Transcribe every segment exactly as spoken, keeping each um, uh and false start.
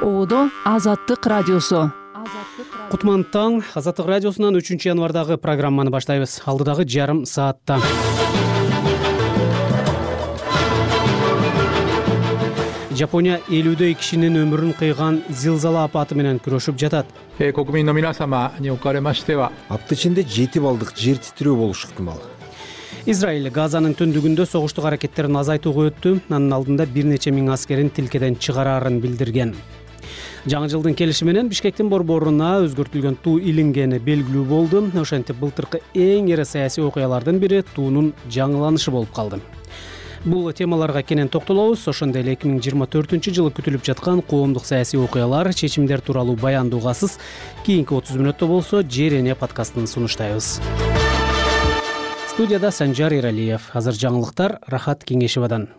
Оодо Азаттык радиосу. Кутман таң, Азаттык радиосунан үчүнчү январдагы программаны баштайбыз. Алдыдагы жарым саатта. Жапония элүүдөй кишинин өмүрүн кыйган зилзала апаты менен күрөшүп жатат. Кокуминの皆様におかれましては、апта ичинде жети балдык жер титирөө болушу ыктымал. Израиль Газанын түндүгүндө согуштук аракеттерин азайтууга өттү. Анын алдында бир нече миң аскерин тилкеден чыгарарын билдирген. Жаңы жылдын келиши менен Бишкектин борборуна өзгөртүлгөн туу илингени белгилүү болду. Ошентип былтыркы эң эре саясий окуялардын бири туунун жаңыланышы болуп калды. Бул темаларга кенен токтолобуз. Ошондой эле эки миң жыйырма төртүнчү жылы күтүлүп жаткан коомдук саясий окуялар, чечимдер тууралуу баяндоогасыз кийинки отуз мүнөттө болсо Жерене подкастын сунуштайбыз. Студияда Санжар Иралиев. Азыр жаңылыктар Рахат Кеңешевадан.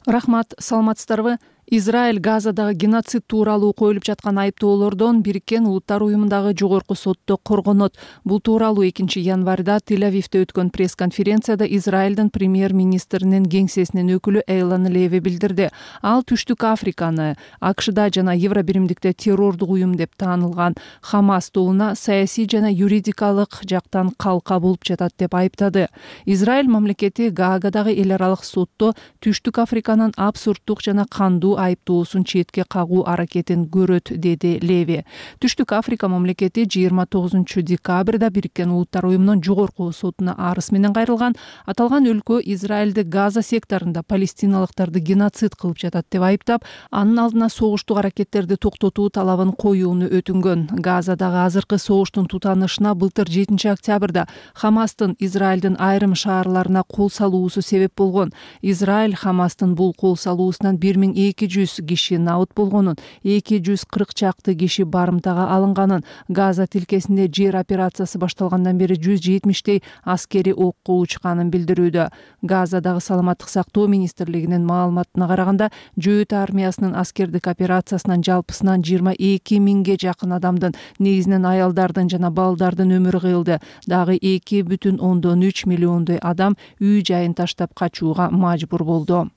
Рахмат, саламатсыздарбы? Израиль Газадагы геноцид тууралуу коюлуп жаткан айыптоолордон Бириккен Улуттар уюмундагы жогорку сотто коргонот. Бул тууралуу экинчи январда Тель-Авивде өткөн пресс-конференцияда Израилдин премьер-министринин кеңсесинин өкүлү Эйлан Леви билдирди. Ал Түштүк Африканы АКШда жана Евробиримдикте террордук уюм деп таанылган Хамас тобуна саясий жана юридикалык жактан калка болуп жатат деп айыптады. Израиль мамлекети Гаагадагы эл аралык сотто Түштүк Африканын абсурддук жана кандуу айыптоосун четке кагуу аракетин көрөт, деди Леви. Түштүк Африка мамлекети жыйырма тогузунчу декабрда Бириккен Улуттар уюмунун жогорку сотуна арыз менен кайрылган. Аталган өлкө Израилди Газа секторунда палестиналыктарды геноцид кылып жатат деп айыптап, анын алдына согуштук аракеттерди токтотуу талабын коюуну өтүнгөн. Газадагы азыркы согуштун тутанышына былтыр жетинчи октябрда Хамастын Израилдин айрым шаарларына кол салуусу себеп болгон. Израиль Хамастын бул кол салуусунан бир миң эки жүз киши набыт болгонун, эки жүз кырк чакты киши барымтага алынганын, Газа тилкесинде жер операциясы башталгандан бери жүз жетимиштей аскери окко учканын билдирүүдө. Газадагы саламаттык сактоо министрлигинин маалыматына караганда, Жөөт армиясынын аскердик операциясынан жалпысынан жыйырма эки миңге жакын адамдын, негизинен аялдардын жана балдардын өмүрү кыйылды. Дагы эки бүтүн ондон үч миллиондой адам үй жайын таштап качууга мажбур болду.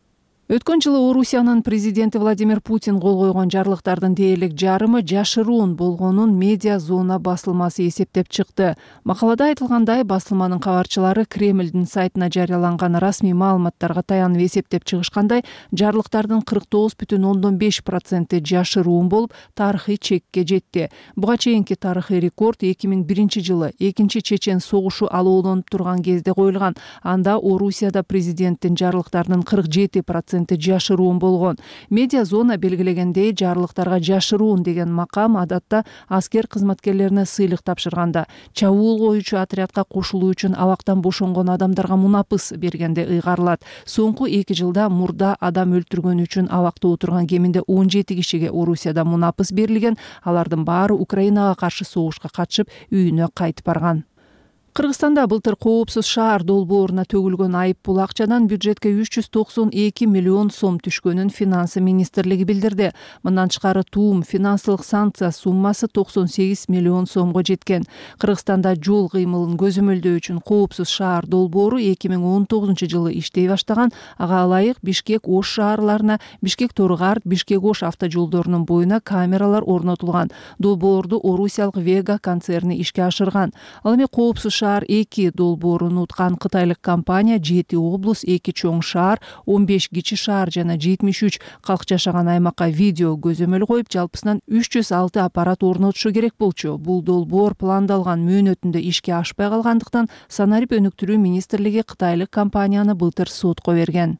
Өткөн жылы Орусиянын президенти Владимир Путин кол койгон жарлыктардын дээрлик жарымы жашыруун болгонун Медиа Зона басылмасы эсептеп чыкты. Макалада айтылгандай, басылманын кабарчылары Кремлдин сайтына жарыяланган расмий маалыматтарга таянып эсептеп чыгышкандай, жарлыктардын кырк тогуз бүтүн ондон беш проценти жашыруун болуп, тарыхый чекке жетти. Буга чейинки тарыхый рекорд эки миң биринчи жылы экинчи чечен согушу алоолонуп турган кезде коюлган. Анда Орусияда президенттин жарлыктарынын кырк жети проценти жашыруун болгон. Медиа Зона белгилегендей, жарлыктарга жашыруун деген макам адатта аскер кызматкерлерине сыйлык тапшырганда, чабуул коюучу отрядка кошулуу үчүн абактан бошонгон адамдарга мунапыс бергенде ыйгарылат. Соңку эки жылда мурда адам өлтүргөн үчүн абакта отурган кеминде он жети кишиге Орусияда мунапыс берилген. Алардын баары Украинага каршы согушка катышып, үйүнө кайтып барган. Кыргызстанда былтыр коопсуз шаар долбооруна төгүлгөн айып пул акчадан бюджетке үч жүз токсон эки миллион сом түшкөнүн Финансы министрлиги билдирди. Мындан тышкары туум финансылык санкция суммасы токсон сегиз миллион сомго жеткен. Кыргызстанда жол кыймылын көзөмөлдөө үчүн коопсуз шаар долбоору эки миң он тогузунчу жылы иштей баштаган. Ага ылайык Бишкек Ош шаарларына, Бишкек Торгарт, Бишкек Ош автожолдорунун боюна камералар орнотулган. Долбоорду Орусиялык Вега концерни ишке ашырган. Ал эми коопсуз шаар эки долбоорун уткан кытайлык компания жети облус, эки чоң шаар, он беш кичи шаар жана жетимиш үч калк жашаган аймакка видео көзөмөл коюп, жалпысынан үч жүз алты аппарат орнотушу керек болчу. Бул долбоор пландалган мөөнөтүндө ишке ашпай калгандыктан Санарип өнүктүрүү министрлиги кытайлык компанияны былтыр сотко берген.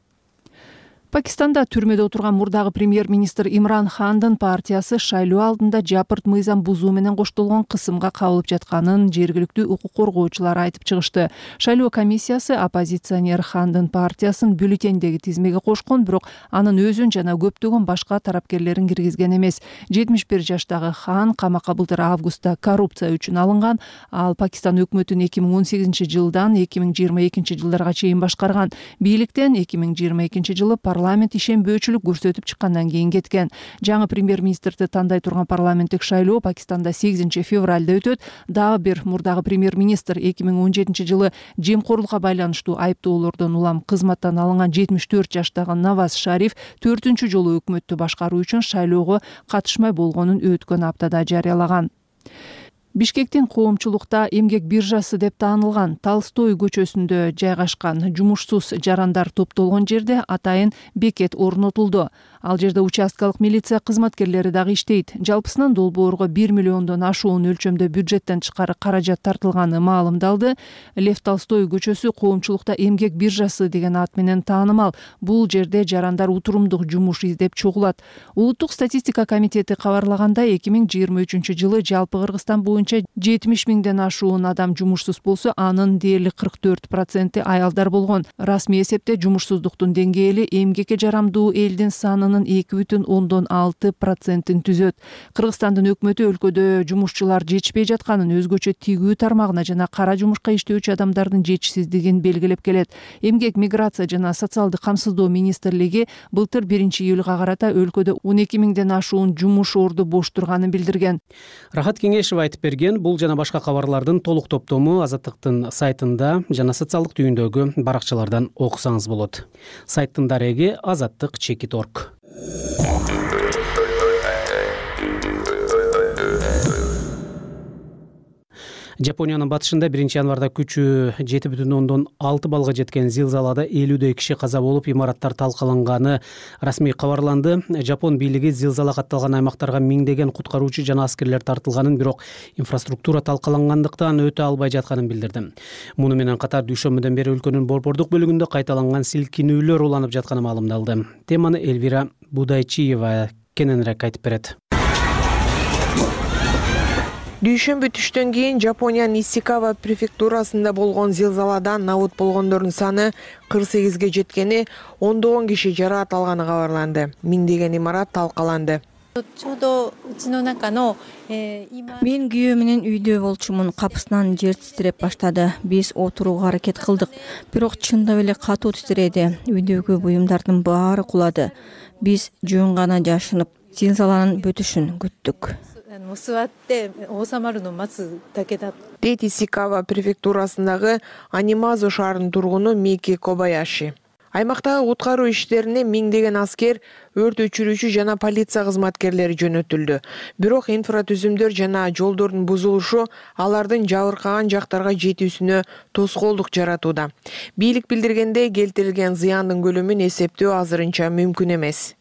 Пакистанда түрмөдө отурган мурдагы премьер-министр Имран Хандын партиясы шайлоо алдында жапырт мыйзам бузуу менен коштолгон кысымга кабылып жатканын жергиликтүү укук коргоочулар айтып чыгышты. Шайлоо комиссиясы оппозиционер Хандын партиясын бюллетендеги тизмеге кошкон, бирок анын өзүн жана көптөгөн башка тарапкерлерин киргизген эмес. жетимиш бир жаштагы Хан камакка былтыр августта коррупция үчүн алынган. Ал Пакистан өкмөтүн эки миң он сегизинчи жылдан эки миң жыйырма экинчи жылдарга чейин башкарган. Бийликтен эки миң жыйырма экинчи жылы парламент ишенбөөчүлүк көрсөтүп чыккандан кийин кеткен. Жаңы премьер-министрди тандай турган парламенттик шайлоо Пакистанда сегизинчи февралда өтөт. Дагы бир мурдагы премьер-министр эки миң он жетинчи жылы жемкорлукка байланыштуу айыптоолордон улам кызматтан алынган жетимиш төрт жаштагы Наваз Шариф төртүнчү жолу өкмөттү башкаруу үчүн шайлоого катышмай болгонун өткөн аптада жарыялаган. Бишкектин коомчулукта эмгек биржасы деп таанылган Толстой көчөсүндө жайгашкан жумушсуз жарандар топтолгон жерде атайын бекет орнотулду. Ал жерде участкалык милиция кызматкерлери дагы иштейт. Жалпысынан долбоорго бир миллиондон ашуун өлчөмдө бюджеттен тышкары каражат тартылганы маалымдалды. Лев Толстой көчөсү коомчулукта эмгек биржасы деген ат менен таанымал. Бул жерде жарандар утурумдук жумуш издеп чогулат. Улуттук статистика комитети кабарлагандай, эки миң жыйырма үчүнчү жылы жалпы Кыргызстан боюнча жетимиш миңден ашуун адам жумушсуз болсо, анын дээрлик кырк төрт проценти аялдар болгон. Расмий эсепте жумушсуздуктун деңгээли эмгекке жарамдуу элдин санынын эки бүтүн ондон алты процентин түзөт. Кыргызстандын өкмөтү өлкөдө жумушчулар жетишпей жатканын, өзгөчө тигүү тармагына жана кара жумушка иштөөчү адамдардын жетишсиздигин белгилеп келет. Эмгек, миграция жана социалдык камсыздоо министрлиги былтыр биринчи июлга карата өлкөдө он эки миңден ашуун жумуш орду бош турганын билдирген. Рахат Кеңешева айтып берген. Бул жана башка кабарлардын толук топтому Азаттыктын сайтында жана социалдык түйүндөгү баракчалардан окусаңыз болот. Сайттын дареги азаттык чекит точка орг. Жапониянын батышында биринчи январда күчү жети бүтүн ондон алты балга жеткен зилзалада элүүдөй киши каза болуп, имараттар талкаланганы расмий кабарланды. Жапон бийлиги зилзала катталган аймактарга миңдеген куткаруучу жана аскерлер тартылганын, бирок инфраструктура талкалангандыктан өтө албай жатканын билдирди. Муну менен катар дүйшөмбүдөн бери өлкөнүн борбордук бөлүгүндө кайталанган силкинүүлөр уланып жатканы маалымдалды. Теманы Эльвира Будайчиева кененирээк айтып берет. Дүйшөмбү түштөн кийин Жапониянын Исикава префектурасында болгон зилзаладан набут болгондордун саны кырк сегизге жеткени, ондогон киши жараат алганы кабарланды. Миңдеген имарат талкаланды. Мен күйөө менен үйдө болчумун. Капысынан жер титиреп баштады. Биз отурууга аракет кылдык, бирок чындап эле катуу титиреди. Үйдөгү буюмдардын баары кулады. Биз жөн гана жашынып, зилзаланын бүтүшүн күттүк. Дейт Исикава префектурасындагы Анимазу шаарынын тургуну Мики Кобаяши. Аймактагы куткаруу иштерине миңдеген аскер, өрт өчүрүүчү жана полиция кызматкерлери жөнөтүлдү. Бирок инфратүзүмдөр жана жолдордун бузулушу алардын жабыркаган жактарга жетүүсүнө тоскоолдук жаратууда. Бийлик билдиргендей, келтирилген зыяндын көлөмүн эсептөө азырынча мүмкүн эмес.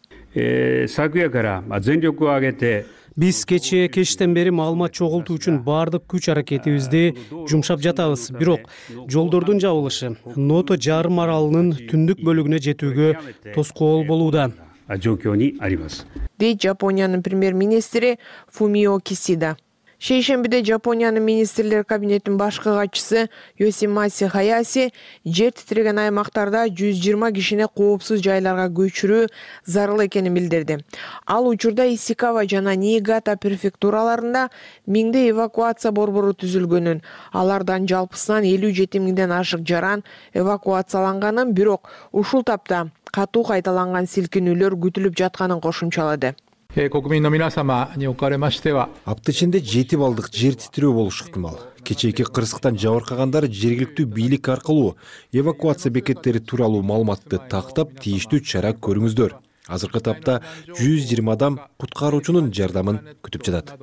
Биз кечээ кечтен бери маалымат чогултуу үчүн баардык күч аракетибизди жумшап жатабыз. Бирок жолдордун жабылышы Ното жарым аралынын түндүк бөлүгүнө жетүүгө тоскоол болууда. Дейт Жапониянын премьер-министри Фумио Кисида. Шейшембиде Жапониянын министрлер кабинетинин башкы катчысы Йосимаси Хаяси жер титиреген аймактарда жүз жыйырма кишини коопсуз жайларга көчүрүү зарыл экенин билдирди. Ал учурда Исикава жана Ниигата префектураларында миңде эвакуация борбору түзүлгөнүн, алардан жалпысынан элүү жети миңден ашык жаран эвакуацияланганын, бирок ушул тапта катуу кайталанган силкинүүлөр күтүлүп жатканын кошумчалады. Апта ичинде жети балдык жер титирөө болушу ыктымал. Кечээки кырсыктан жабыркагандар жергиликтүү бийлик аркылуу эвакуация бекеттери тууралуу маалыматты тактап, тийиштүү чара көрүңүздөр. Азыркы тапта жүз жыйырма адам куткаруучунун жардамын күтүп жатат.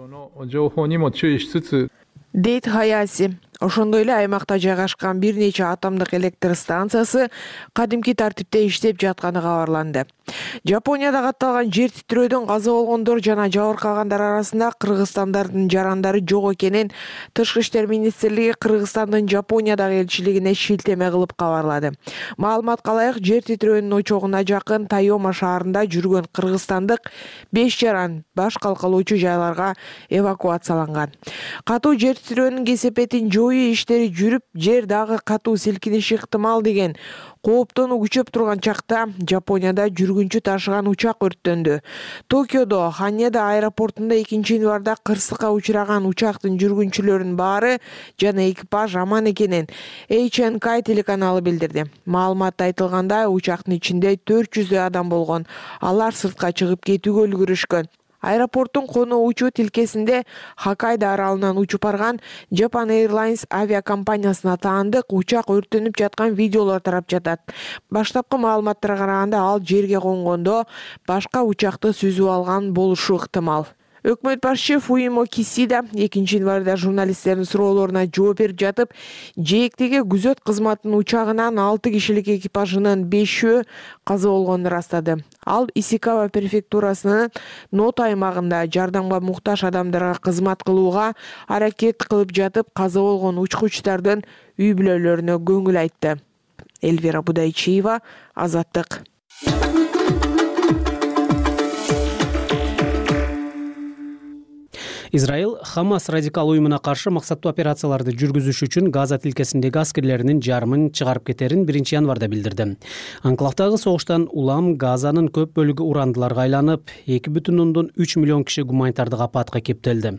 Дейт Хаяси. Ошондой эле аймакта жайгашкан бир нече атомдук электр станциясы кадимки тартипте иштеп жатканы кабарланды. Жапонияда катталган жер титирөөдөн каза болгондор жана жабыркагандар арасында кыргызстандардын жарандары жок экенин Тышкы иштер министрлиги Кыргызстандын Жапониядагы элчилигине шилтеме кылып кабарлады. Маалыматка ылайык, жер титирөөнүн очогуна жакын Тайома шаарында жүргөн кыргызстандык беш жаран баш калкалоочу жайларга эвакуацияланган. Катуу жер титирөөнүн кесепетин жоюу иштери жүрүп, жер дагы катуу силкиниши ыктымал деген кооптонуу күчөп турган чакта Жапонияда жүргүнчү ташыган учак өрттөндү. Токиодо Ханеда аэропортунда экинчи январда кырсыкка учураган учактын жүргүнчүлөрүнүн баары жана экипаж аман экенин эйч эн кей телеканалы билдирди. Маалыматта айтылгандай, учактын ичинде төрт жүздөй адам болгон. Алар сыртка чыгып кетүүгө үлгүрүшкөн. Аэропорттун конуу учуу тилкесинде Хоккайдо аралынан учуп барган Japan Airlines авиакомпаниясына таандык учак өрттөнүп жаткан видеолор тарап жатат. Баштапкы маалыматтарга караганда, ал жерге конгондо башка учакты сүзүп алган болушу ыктымал. Өкмөт башчы Фумио Кисида экинчи январда журналисттердин суроолоруна жооп берип жатып, жээктеги күзөт кызматынын учагынан алты кишилик экипажынын бешөө каза болгонун ырастады. Ал Исикава префектурасынын Ното аймагында жардамга муктаж адамдарга кызмат кылууга аракет кылып жатып, каза болгон учкучтардын үй бүлөлөрүнө көңүл айтты. Эльвира Будайчиева, Азаттык. Израиль Хамас радикал уюмуна каршы максаттуу операцияларды жүргүзүш үчүн Газа тилкесиндеги аскерлеринин жарымын чыгарып кетерин биринчи январда билдирди. Анклавдагы согуштан улам Газанын көп бөлүгү урандыларга айланып, эки бүтүн ондон үч миллион киши гуманитардык апатка кептелди.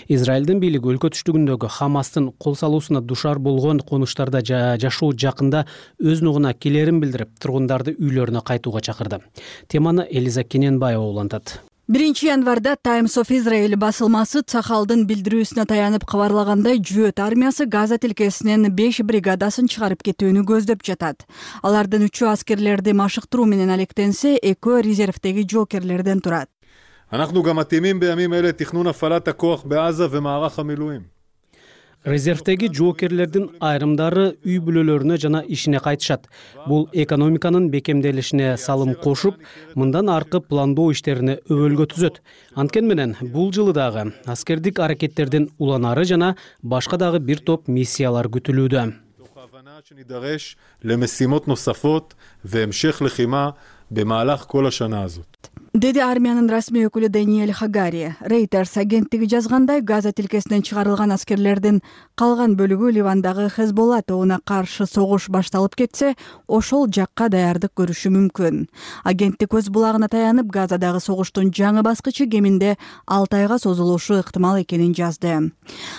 Израилдин бийлиги өлкө түштүгүндөгү Хамастын кол салуусуна душар болгон конуштарда жашоо жакында өз нугуна келерин билдирип, тургундарды үйлөрүнө кайтууга чакырды. Теманы Элиза Кененбаева улантат. биринчи январда Times of Israel басылмасы Цахалдын билдирүүсүнө таянып кабарлагандай, Жүйөт армиясы Газа тилкесинен беш бригадасын чыгарып кетүүнү көздөп жатат. Алардын үчөө аскерлерди машыктыруу менен алектенсе, экөө резервдеги жокерлерден турат. אנחנו גם מתאימים בימים אלה תכנון הפעלת הכוח בעזה ומערך המילואים. Резервдеги жоокерлердин айрымдары үй бүлөлөрүнө жана ишине кайтышат. Бул экономиканын бекемделишине салым кошуп, мындан аркы пландоо иштерине өбөлгө түзөт. Анткени менен бул жылы дагы аскердик аракеттердин уланары жана башка дагы бир топ миссиялар күтүлүүдө. שנידרש למשימות נוספות והמשך לחימה במהלך כל השנה הזאת. Деди армиянын расмий өкүлү Даниэль Хагари. Reuters агенттиги жазгандай, Газа тилкесинен чыгарылган аскерлердин калган бөлүгү Ливандагы Хезболла тобуна каршы согуш башталып кетсе, ошол жакка даярдык көрүшү мүмкүн. Агенттик өз булагына таянып, Газадагы согуштун жаңы баскычы кеминде алты айга созулушу ыктымал экенин жазды.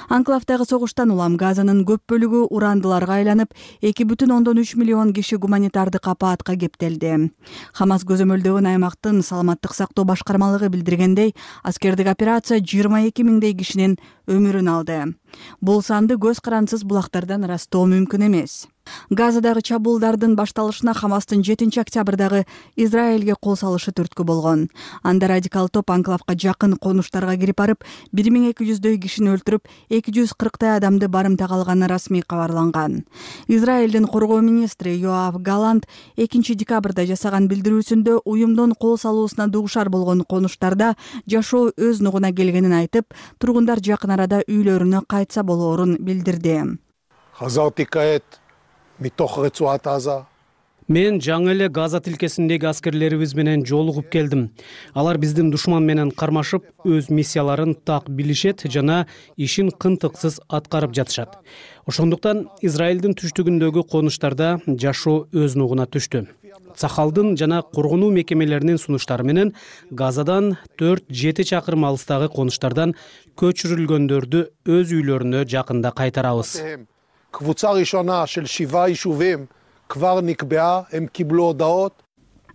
Анклавдагы согуштан улам Газанын көп бөлүгү урандыларга айланып, эки бүтүн ондон үч миллион киши гуманитардык апаатка кептелди. Хамас көзөмөлдөгөн аймактын саламаттык сактоо башкармалыгы билдиргендей, аскердик операция жыйырма эки миңдей кишинин өмүрүн алды. Бул санды көз карансыз булактардан ырастоо мүмкүн эмес. Газадагы чабуулдардын башталышына Хамастын жетинчи октябрдагы Израилге кол салышы түрткү болгон. Анда радикал топ анклавга жакын конуштарга кирип барып, бир миң эки жүздөй кишини өлтүрүп, эки жүз кырктай адамды барымтага алганы расмий кабарланган. Израилдин коргоо министри Йоав Галант экинчи декабрда жасаган билдирүүсүндө уюмдун кол салуусуна дуушар болгон конуштарда жашоо өз нугуна келгенин айтып, тургундар жакын арада үйлөрүнө кайтса болоорун билдирди. Мен жаңы эле Газа тилкесиндеги аскерлерибиз менен жолугуп келдим. Алар биздин душман менен кармашып, өз миссияларын так билишет жана ишин кынтыксыз аткарып жатышат. Ошондуктан Израилдин түштүгүндөгү конуштарда жашоо өз нугуна түштү. Цахалдын жана коргонуу мекемелеринин сунуштары менен Газадан төрт жети чакырым алыстагы конуштардан көчүрүлгөндөрдү өз үйлөрүнө жакында кайтарабыз. קבוצה ראשונה של שבעה יישובים כבר נקבעה, הם קיבלו הודעות.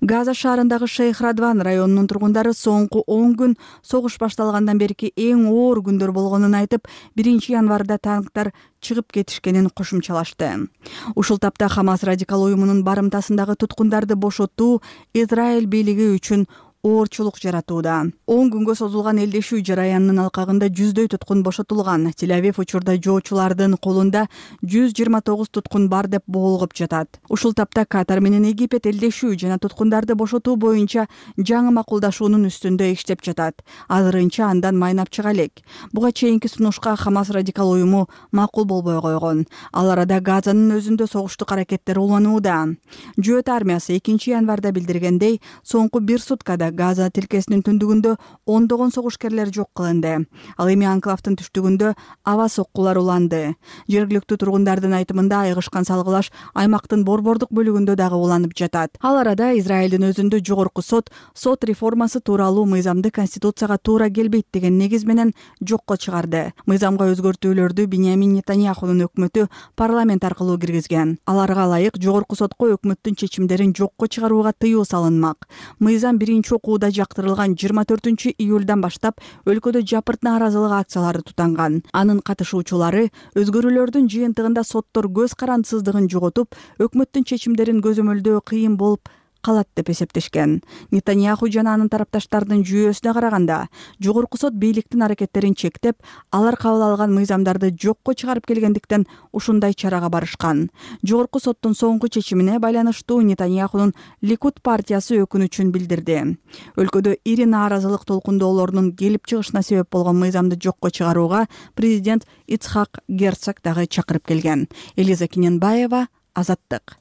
Газа шаарындагы Шейх Радван районунун тургундары соңку он күн согуш башталгандан берки эң оор күндөр болгонун айтып, биринчи январда танктар чыгып кетишкенин кошумчалашты. Ушул тапта Хамас радикал уюмунун барымтасындагы туткундарды бошотуу Израиль бийлиги үчүн оорчулук жаратууда. он күнгө созулган элдешүү жараянынын алкагында жүздөй туткун бошотулган. Тель-Авив учурда жоочулардын колунда жүз жыйырма тогуз туткун бар деп боолгоп жатат. Ушул тапта Катар менен Египет элдешүү жана туткундарды бошотуу боюнча жаңы макулдашуунун үстүндө иштеп жатат. Азырынча андан майнап чыга элек. Буга чейинки сунушка Хамас радикал уюму макул болбой койгон. Ал арада Газанын өзүндө согуштук аракеттер уланууда. Жүйөт армиясы экинчи январда билдиргендей, соңку бир суткада Газа тилкесинин түндүгүндө ондогон согушкерлер жок кылынды. Ал эми анклавдын түштүгүндө аба соккулар уланды. Жергиликтүү тургундардын айтымында айгышкан салгылаш аймактын борбордук бөлүгүндө дагы уланып жатат. Ал арада Израилдин өзүндө жогорку сот сот реформасы тууралуу мыйзамды конституцияга туура келбейт деген негиз менен жокко чыгарды. Мыйзамга өзгөртүүлөрдү Биньямин Нетаньяхунун өкмөтү парламент аркылуу киргизген. Аларга ылайык жогорку сотко өкмөттүн чечимдерин жокко чыгарууга тыюу салынмак. Мыйзам биринчи окууда жактырылган жыйырма төртүнчү июлдан баштап өлкөдө жапырт нааразылык акциялары тутанган. Анын катышуучулары өзгөрүүлөрдүн жыйынтыгында соттор көз карандысыздыгын жоготуп, өкмөттүн чечимдерин көзөмөлдөө кыйын болуп калат деп эсептешкен. Нетаньяху жана анын тарапташтарынын жүйөөсүнө караганда, жогорку сот бийликтин аракеттерин чектеп, алар кабыл алган мыйзамдарды жокко чыгарып келгендиктен ушундай чарага барышкан. Жогорку соттун соңку чечимине байланыштуу Нетаньяхунун Ликуд партиясы өкүнүчүн билдирди. Өлкөдө ири нааразылык толкундоолорунун келип чыгышына себеп болгон мыйзамды жокко чыгарууга президент Ицхак Герцог дагы чакырып келген. Элиза Киненбаева, Азаттык.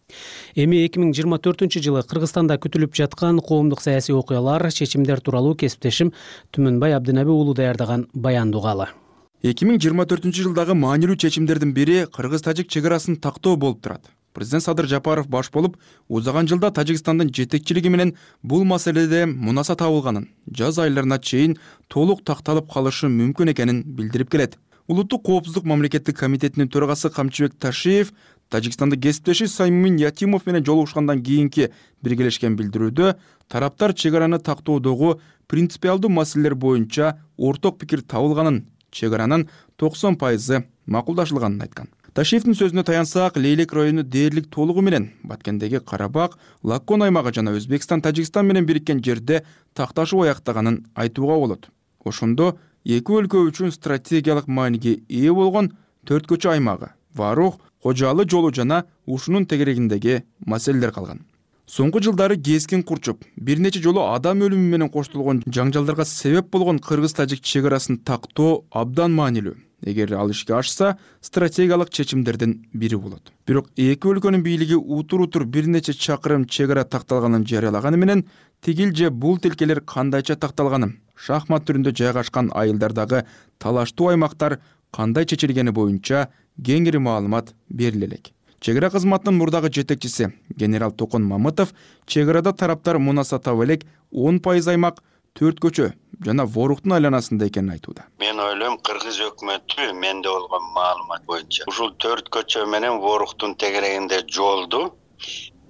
Эми эки миң жыйырма төртүнчү жылы Кыргызстанда күтүлүп жаткан коомдук саясий окуялар, чечимдер тууралуу кесиптешим Түмөнбай Абдынаби уулу даярдаган баянды угалы. эки миң жыйырма төртүнчү жылдагы маанилүү чечимдердин бири кыргыз-тажик чек арасын тактоо болуп турат. Президент Садыр Жапаров баш болуп, узаган жылда Тажикстандын жетекчилиги менен бул маселеде мунаса табылганын, жаз айларына чейин толук такталып калышы мүмкүн экенин билдирип келет. Улуттук коопсуздук мамлекеттик комитетинин төрагасы Камчыбек Ташиев Тажикстандык кесиптеши Саймин Ятимов менен жолугушкандан кийинки биргелешкен билдирүүдө тараптар чек араны тактоодогу принципиалдуу маселелер боюнча орток пикир табылганын, чек аранын токсон пайызы макулдашылганын айткан. Ташиевдин сөзүнө таянсак, Лейлек району дээрлик толугу менен Баткендеги Карабак, Лаккон аймагы жана Өзбекстан Тажикстан менен бириккен жерде такташуу аяктаганын айтууга болот. Ошондо эки өлкө үчүн стратегиялык мааниге ээ болгон Төрткөчө аймагы, Варух, Кожалы жолу жана ушунун тегерегиндеги маселелер калган. Соңку жылдары кескин курчуп, бир нече жолу адам өлүмү менен коштолгон жаңжалдарга себеп болгон кыргыз-тажик чек арасын тактоо абдан маанилүү. Эгер ал ишке ашса, стратегиялык чечимдердин бири болот. Бирок эки өлкөнүн бийлиги утур-утур бир нече чакырым чек ара такталганын жарыялаганы менен тигил же бул тилкелер кандайча такталганын, шахмат түрүндө жайгашкан айылдардагы талаштуу аймактар кандай чечилгени боюнча кеңири маалымат бериле элек. Чек ара кызматынын мурдагы жетекчиси генерал Токон Мамытов чек арада тараптар мунаса таба элек он пайыз аймак Төрткөчө жана Воруктун айланасында экенин айтууда. Мен ойлойм, кыргыз өкмөтү менде болгон маалымат боюнча ушул Төрткөчө менен Воруктун тегерегинде жолду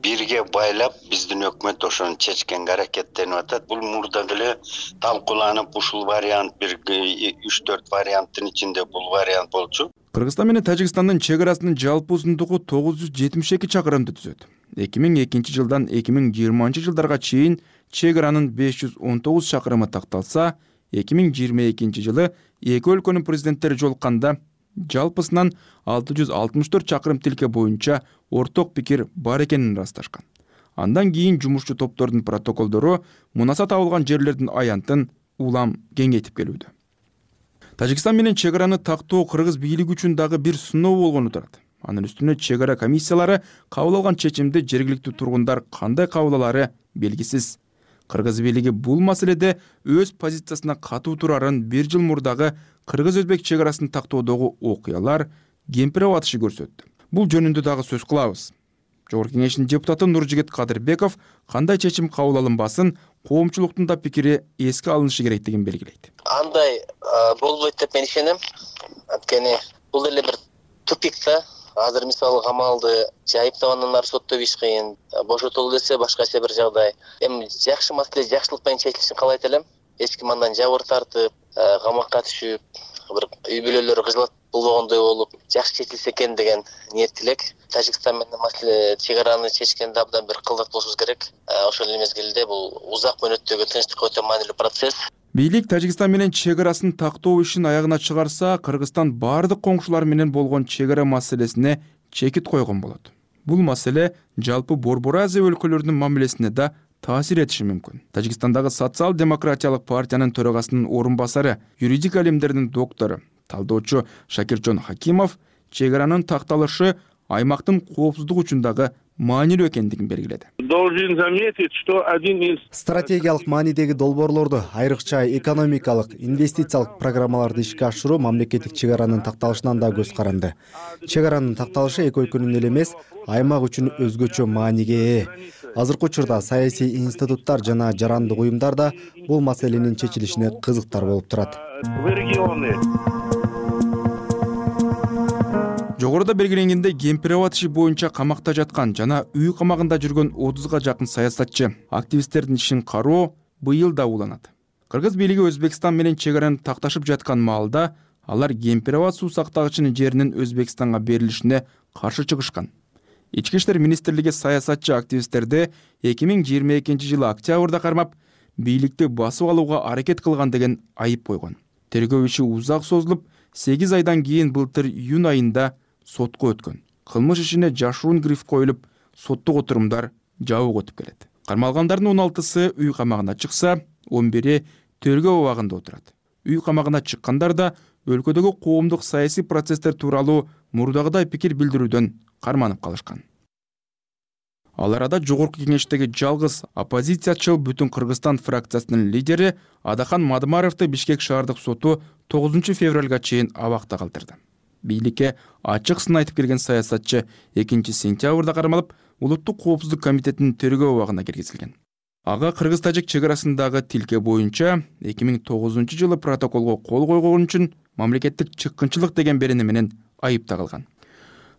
бирге байлап биздин өкмөт ошону чечкенге аракеттенип атат. Бул мурда деле талкууланып ушул вариант бир үч төрт варианттын ичинде бул вариант болчу. Кыргызстан менен Тажикстандын чек арасынын жалпы узундугу тогуз жүз жетимиш эки чакырымды түзөт. эки миң экинчи жылдан эки миң жыйырманчы жылдарга чейин чек аранын беш жүз он тогуз чакырымы такталса, эки миң жыйырма экинчи жылы эки өлкөнүн президенттери жолукканда жалпысынан алты жүз алтымыш төрт чакырым тилке боюнча орток пикир бар экенин ырасташкан. Андан кийин жумушчу топтордун протоколдору мунаса табылган жерлердин аянтын улам кеңейтип келүүдө. Тажикстан менен чек араны тактоо кыргыз бийлиги үчүн дагы бир сыноо болгону турат. Анын үстүнө чек ара комиссиялары кабыл алган чечимди жергиликтүү тургундар кандай кабыл алары белгисиз. Кыргыз бийлиги бул маселеде өз позициясына катуу турарын бир жыл мурдагы кыргыз-өзбек чек арасын тактоодогу окуялар кемпиреп атышы көрсөттү. Бул жөнүндө дагы сөз кылабыз. Жогорку кеңештин депутаты Нуржигит Кадырбеков кандай чечим кабыл алынбасын, коомчулуктун да пикири эске алынышы керектигин белгилейт. Андай болбойт деп мен ишенем. Анткени бул эле бир тупик да. Азыр мисалы камалды жайыптагандары сотто беш кыйын, бошотолу десе башкача бир жагдай. Эми жакшы маселе жакшылык менен чечилишин каалайт элем. Эч ким андан жабыр тартып, камакка түшүп, бир үй бүлөлөрү кыжылат болбогондой болуп, жакшы чечилсе экен деген ниет тилек. Тажикстан менен маселе чек араны чечкенде абдан бир кылдат болушубуз керек. Ошол эле мезгилде бул узак мөөнөттөгү тынчтыкка өтө маанилүү процесс. Бийлик Тажикстан менен чек арасын тактоо ишин аягына чыгарса, Кыргызстан бардык коңшулар менен болгон чек ара маселесине чекит койгон болот. Бул маселе жалпы Борбор Азия өлкөлөрүнүн мамилесине да таасир этиши мүмкүн. Тажикстандагы социал-демократиялык партиянын төрагасынын орун басары, юридика илимдеринин доктору, талдоочу Шакиржон Хакимов чек аранын такталышы аймактын коопсуздугу үчүн дагы маанилүү экендигин белгиледи. Должен заметить, что один из стратегиялык маанидеги долбоорлорду, айрыкча экономикалык, инвестициялык программаларды ишке ашыруу мамлекеттик чек аранын такталышынан да көз каранды. Чек аранын такталышы эки өлкөнүн эле эмес, аймак үчүн өзгөчө мааниге ээ. Азыркы учурда саясий институттар жана жарандык уюмдар да бул маселенин чечилишине кызыктар болуп турат. Жогоруда белгиленгендей, Кемпир-Абад иши боюнча камакта жаткан жана үй камагында жүргөн отузга жакын саясатчы активисттердин ишин кароо быйыл да уланат. Кыргыз бийлиги Өзбекстан менен чек араны такташып жаткан маалда алар Кемпир-Абад суу сактагычынын жеринин Өзбекстанга берилишине каршы чыгышкан. Ички иштер министрлиги саясатчы активисттерди эки миң жыйырма экинчи жылы октябрда кармап, бийликти басып алууга аракет кылган деген айып койгон. Тергөө иши узак созулуп, сегиз айдан кийин былтыр июнь айында сотко өткөн. Кылмыш ишине жашыруун гриф коюлуп, соттук отурумдар жабык өтүп келет. Кармалгандардын он алтысы үй камагына чыкса, он бири тергөө абагында отурат. Үй камагына чыккандар да өлкөдөгү коомдук саясий процесстер тууралуу мурдагыдай пикир билдирүүдөн карманып калышкан. Ал арада жогорку кеңештеги жалгыз оппозициячыл Бүтүн Кыргызстан фракциясынын лидери Адахан Мадымаровду Бишкек шаардык соту тогузунчу февралга чейин абакта калтырды. Бийликке ачык сын айтып келген саясатчы экинчи сентябрда кармалып, Улуттук коопсуздук комитетинин тергөө абагына киргизилген. Ага кыргыз-тажик чек арасындагы тилке боюнча эки миң тогузунчу жылы протоколго кол койгон үчүн мамлекеттик чыккынчылык деген берени менен айып тагылган.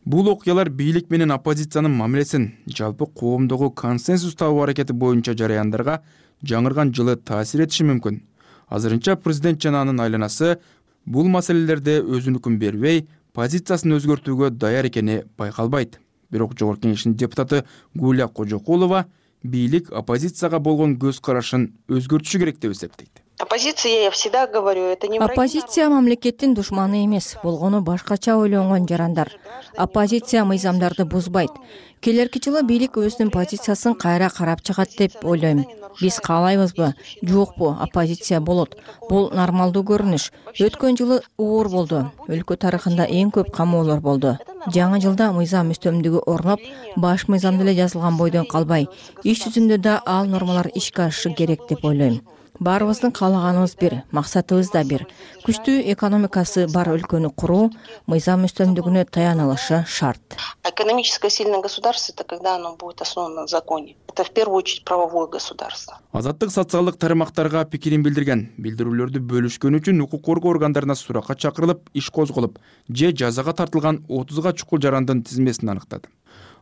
Бул окуялар бийлик менен оппозициянын мамилесин жалпы коомдогу консенсус табуу аракети боюнча жараяндарга жаңырган жылы таасир этиши мүмкүн. Азырынча президент жана анын айланасы бул маселелерде өзүнүкүн бербей, позициясын өзгөртүүгө даяр экени байкалбайт. Бирок жогорку кеңештин депутаты Гуля Кожокулова бийлик оппозицияга болгон көз карашын өзгөртүшү керек деп эсептейт. Оппозиция, я всегда говорю, это не Оппозиция мамлекеттин душманы эмес, болгону башкача ойлонгон жарандар. Оппозиция мыйзамдарды бузбайт. Келерки жылы бийлик өзүнүн позициясын кайра карап чыгат деп ойлойм. Биз каалайбызбы, жокпу, оппозиция болот. Бул нормалдуу көрүнүш. Өткөн жылы оор болду. Өлкө тарыхында эң көп камоолор болду. Жаңы жылда мыйзам үстөмдүгү орноп, баш мыйзамда эле жазылган бойдон калбай, иш жүзүндө да ал нормалар ишке ашышы керек деп ойлойм. Баарыбыздын каалаганыбыз бир, максатыбыз да бир. Күчтүү экономикасы бар өлкөнү куруу, мыйзам үстөмдүгүнө таянылышы шарт. Экономически сильное государство — это когда оно будет основано на законе. Это в первую очередь правовое государство. Азаттык социалдык тармактарга пикирин билдирген, билдирүүлөрдү бөлүшкөн үчүн укук коргоо органдарына суракка чакырылып, иш козголуп, же жазага тартылган отузга чукул жарандын тизмесин аныктады.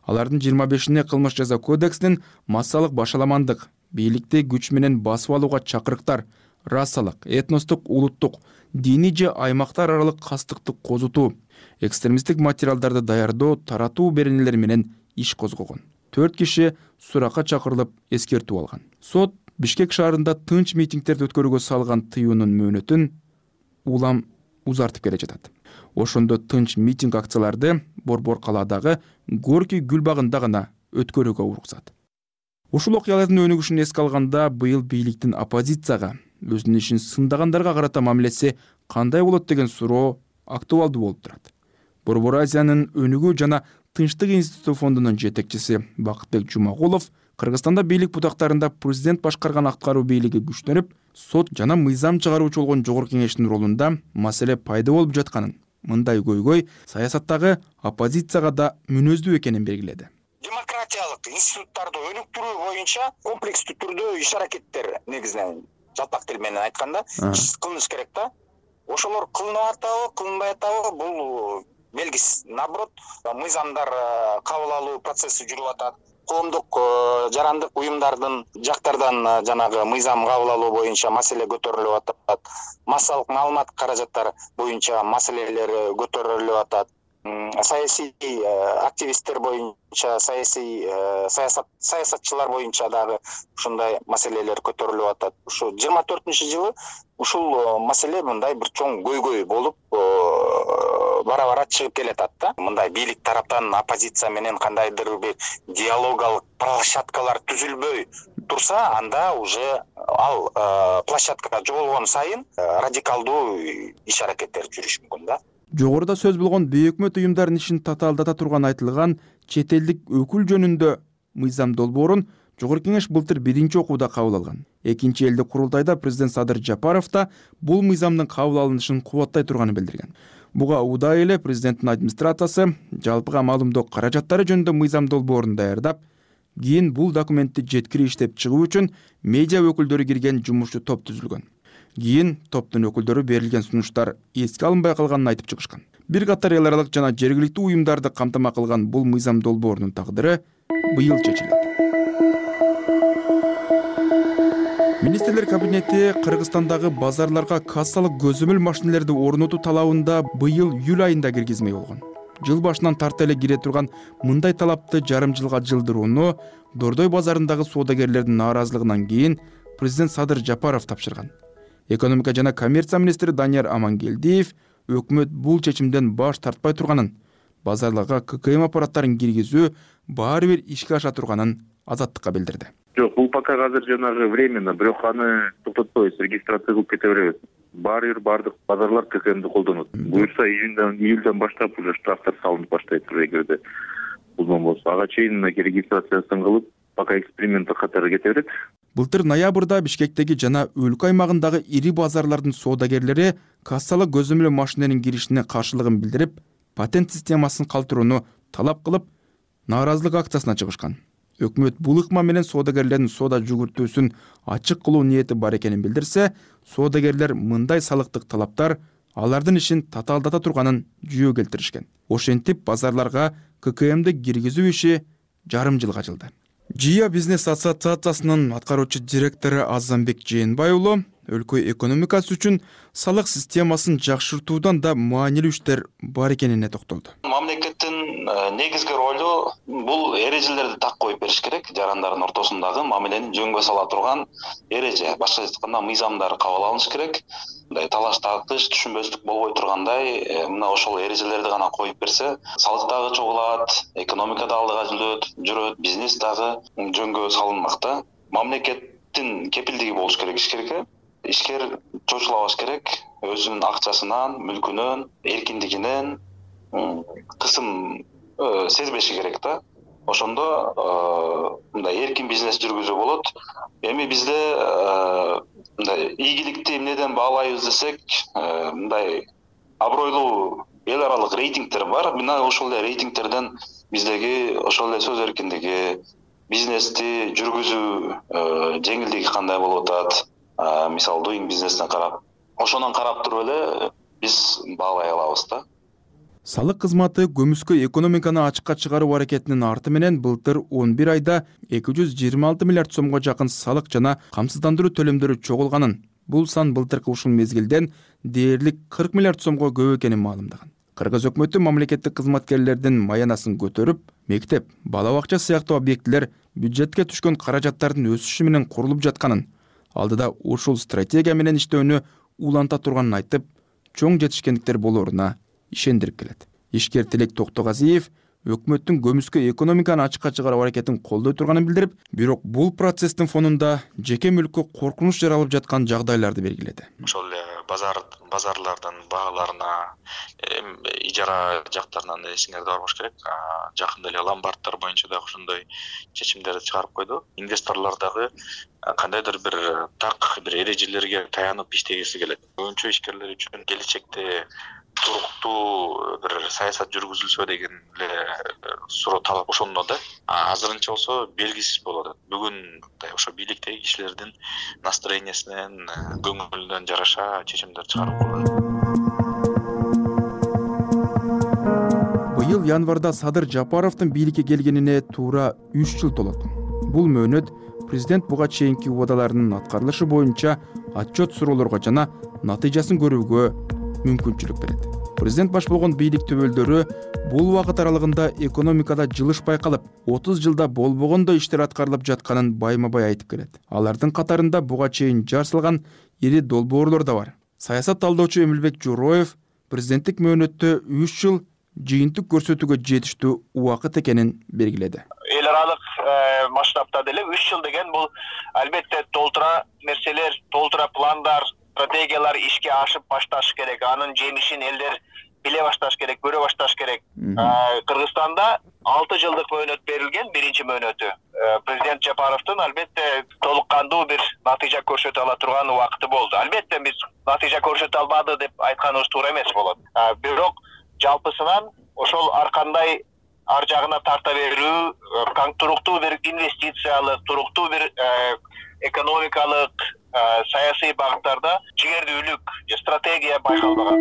Алардын жыйырма бешине кылмыш жаза кодексинин массалык башаламандык, бийликти күч менен басып алууга чакырыктар, расалык, этностук, улуттук, диний же аймактар аралык кастыктык козутуу, экстремисттик материалдарды даярдоо, таратуу беренелери менен иш козгогон. Төрт киши суракка чакырылып эскертүү алган. Сот Бишкек шаарында тынч митингдерди өткөрүүгө салган тыюунун мөөнөтүн улам узартып келе жатат. Ошондо тынч митинг акцияларды Борбор калаадагы Горький гүл багында гана өткөрүүгө уруксат. Ушул окуялардын өнүгүшүн эске алганда быйыл бийликтин оппозицияга, өзүнүн ишин сындагандарға карата мамилеси кандай болот деген суроо актуалдуу болуп турат. Борбор Азиянын өнүгүү жана тынчтык институту фондунун жетекчиси Бакытбек Жумагулов Кыргызстанда бийлик бутактарында президент башкарган аткаруу бийлиги күчтөнүп, сот жана мыйзам чыгаруучу болгон жогорку кеңештин ролунда маселе пайда болуп жатканын, мындай көйгөй саясаттагы оппозицияга да мүнөздүү экенин белгиледи. Демократиялык институттарды өнүктүрүү боюнча комплекстүү түрдө иш аракеттер негизинен жалпак тил менен айтканда кылыныш керек да. Ошолор кылынып атабы, кылынбай атабы бул белгисиз. Наоборот, мыйзамдар кабыл алуу процесси жүрүп атат. Коомдук жарандык уюмдардын жактардан жанагы мыйзам кабыл алуу боюнча маселе көтөрүлүп атат. Массалык маалымат каражаттар боюнча маселелер көтөрүлүп атат. Саясий активисттер боюнча, саясий саясат саясатчылар боюнча дагы ушундай маселелер көтөрүлүп атат. Ушу жыйырма төртүнчү жылы ушул маселе мындай бир чоң көйгөй болуп бара-бара чыгып келатат да. Мындай бийлик тараптан оппозиция менен кандайдыр бир диалогалык площадкалар түзүлбөй турса, анда уже ал площадка жоголгон сайын радикалдуу иш аракеттер жүрүшү мүмкүн да. Жогоруда сөз болгон бейөкмөт уюмдардын ишин татаалдата турган айтылган чет элдик өкүл жөнүндө мыйзам долбоорун Жогорку Кеңеш былтыр биринчи окууда кабыл алган. Экинчи элдик курултайда президент Садыр Жапаров да бул мыйзамдын кабыл алынышын кубаттай турганын билдирген. Буга удай эле президенттин администрациясы жалпыга маалымдоо каражаттары жөнүндө мыйзам долбоорун даярдап, кийин бул документти жеткирип иштеп чыгуу үчүн медиа өкүлдөрү кирген жумушчу топ түзүлгөн. Кийин топтун өкүлдөрү берилген сунуштар эске алынбай калганын айтып чыгышкан. Бир катар эл аралык жана жергиликтүү уюмдарды камтама кылган бул мыйзам долбоорунун тагдыры быйыл чечилет. Министрлер кабинети Кыргызстандагы базарларга кассалык көзөмөл машинелерди орнотуу талабында быйыл июль айында киргизмей болгон. Жыл башынан тарта эле кире турган мындай талапты жарым жылга жылдырууну Дордой базарындагы соодагерлердин нааразылыгынан кийин президент Садыр Жапаров тапшырган. Экономика жана коммерция министри Данияр Амангелдиев өкмөт бул чечимден баш тартпай турганын, базарларга ККМ аппараттарын киргизүү баары бир ишке аша турганын Азаттыкка билдирди. Жок, бул пока азыр жанагы временно, бирок аны токтотпойбуз, регистрация кылып кете беребиз. Баары бир бардык базарлар ККМди колдонот. Буюрса июньдан, июльдан баштап уже штрафтар салынып баштайт эгерде бузган болсо. Ага чейин мынакей регистрациясын кылып, пока эксперименттик катары кете берет. Былтыр ноябрда Бишкектеги жана өлкө аймагындагы ири базарлардын соодагерлери кассалык көзөмөл машиненин киришине каршылыгын билдирип, патент системасын калтырууну талап кылып, нааразылык акциясына чыгышкан. Өкмөт бул ыкма менен соодагерлердин соода жүгүртүүсүн ачык кылуу ниети бар экенин билдирсе, соодагерлер мындай салыктык талаптар алардын ишин татаалдата турганын жүйө келтиришкен. Ошентип базарларга ККМди киргизүү иши жарым жылга жылды. Жия бизнес ассоциациясынын аткаруучу директору Азамбек Жээнбай уулу өлкө экономикасы үчүн салык системасын жакшыртуудан да маанилүү иштер бар экенине токтолду. Мамлекеттин негизги ролу бул эрежелерди так коюп бериш керек. Жарандардын ортосундагы мамилени жөнгө сала турган эреже, башкача айтканда мыйзамдар кабыл алыныш керек. Мындай талаш тартыш, түшүнбөстүк болбой тургандай, мына ошол эрежелерди гана коюп берсе, салык дагы чогулат, экономика да алдыга жүрөт, жүрөт, бизнес дагы жөнгө салынмак да. Мамлекеттин кепилдиги болуш керек ишкерге. Ишкер чочулабаш керек, өзүнүн акчасынан, мүлкүнөн, эркиндигинен кысым сезбеши керек да. Ошондо мындай эркин бизнес жүргүзүү болот. Эми бизде мындай ийгиликти эмнеден баалайбыз десек, мындай абройлуу эл аралык рейтингтер бар. Мына ошол эле рейтингтерден биздеги ошол эле сөз эркиндиги, бизнести жүргүзүү жеңилдиги кандай болуп атат, мисалы doing бизнестен карап, ошондон карап туруп эле биз баалай алабыз да. Салык кызматы көмүскө экономиканы ачыкка чыгаруу аракетинин арты менен былтыр он бир айда эки жүз жыйырма алты миллиард сомго жакын салык жана камсыздандыруу төлөмдөрү чогулганын, бул сан былтыркы ушул мезгилден дээрлик кырк миллиард сомго көп экенин маалымдаган. Кыргыз өкмөтү мамлекеттик кызматкерлердин маянасын көтөрүп, мектеп, бала бакча сыяктуу объектилер бюджетке түшкөн каражаттардын өсүшү менен курулуп жатканын, алдыда ушул стратегия менен иштөөнү уланта турганын айтып, чоң жетишкендиктер болоруна ишендирип келет. Ишкер Тилек Токтогазиев өкмөттүн көмүскө экономиканы ачыкка чыгаруу аракетин колдой турганын билдирип, бирок бул процесстин фонунда жеке мүлккө коркунуч жаралып жаткан жагдайларды белгиледи. Ошол эле базар базарлардын бааларына, ижара жактарынан эсиңерде бар болуш керек. Жакында эле ломбардтар боюнча дагы ошондой чечимдерди чыгарып койду. Инвесторлор дагы кандайдыр бир так бир эрежелерге таянып иштегиси келет. Көбүнчө ишкерлер үчүн келечекте туруктуу бир саясат жүргүзүлсө деген эле суроо талап ошондо да. Азырынча болсо белгисиз болуп атат. Бүгүн ошо бийликтеги кишилердин настроениясынан, көңүлүнөн жараша чечимдер чыгарып коюлат. Быйыл январда Садыр Жапаровдун бийликке келгенине туура үч жыл толот. Бул мөөнөт президент буга чейинки убадаларынын аткарылышы боюнча отчет суроолорго жана натыйжасын көрүүгө мүмкүнчүлүк берет. Президент баш болгон бийлик төбөлдөрү бул убакыт аралыгында экономикада жылыш байкалып, отуз жылда болбогондой иштер аткарылып жатканын байма-бай айтып келет. Алардын катарында буга чейин жар салган ири долбоорлор да бар. Саясат талдоочу Эмилбек Журоев президенттик мөөнөттө үч жыл жыйынтык көрсөтүүгө жетиштүү убакыт экенин белгиледи. Эл аралык масштабта деле үч жыл деген бул албетте толтура нерселер, толтура пландар, стратегиялар ишке ашып башташ керек. Анын жемишин элдер биле башташ керек, көрө башташ керек. Кыргызстанда алты жылдык мөөнөт берилген, биринчи мөөнөтү. Президент Жапаровдун албетте толук кандуу бир натыйжа көрсөтө ала турган убакыты болду. Албетте биз натыйжа көрсөтө албады деп айтканыбыз туура эмес болот. Бирок жалпысынан ошол ар кандай ар жагына тарта берүү, туруктуу бир инвестициялык, туруктуу бир экономикалык, саясий багыттарда жигердүүлүк, стратегия байкалбаган.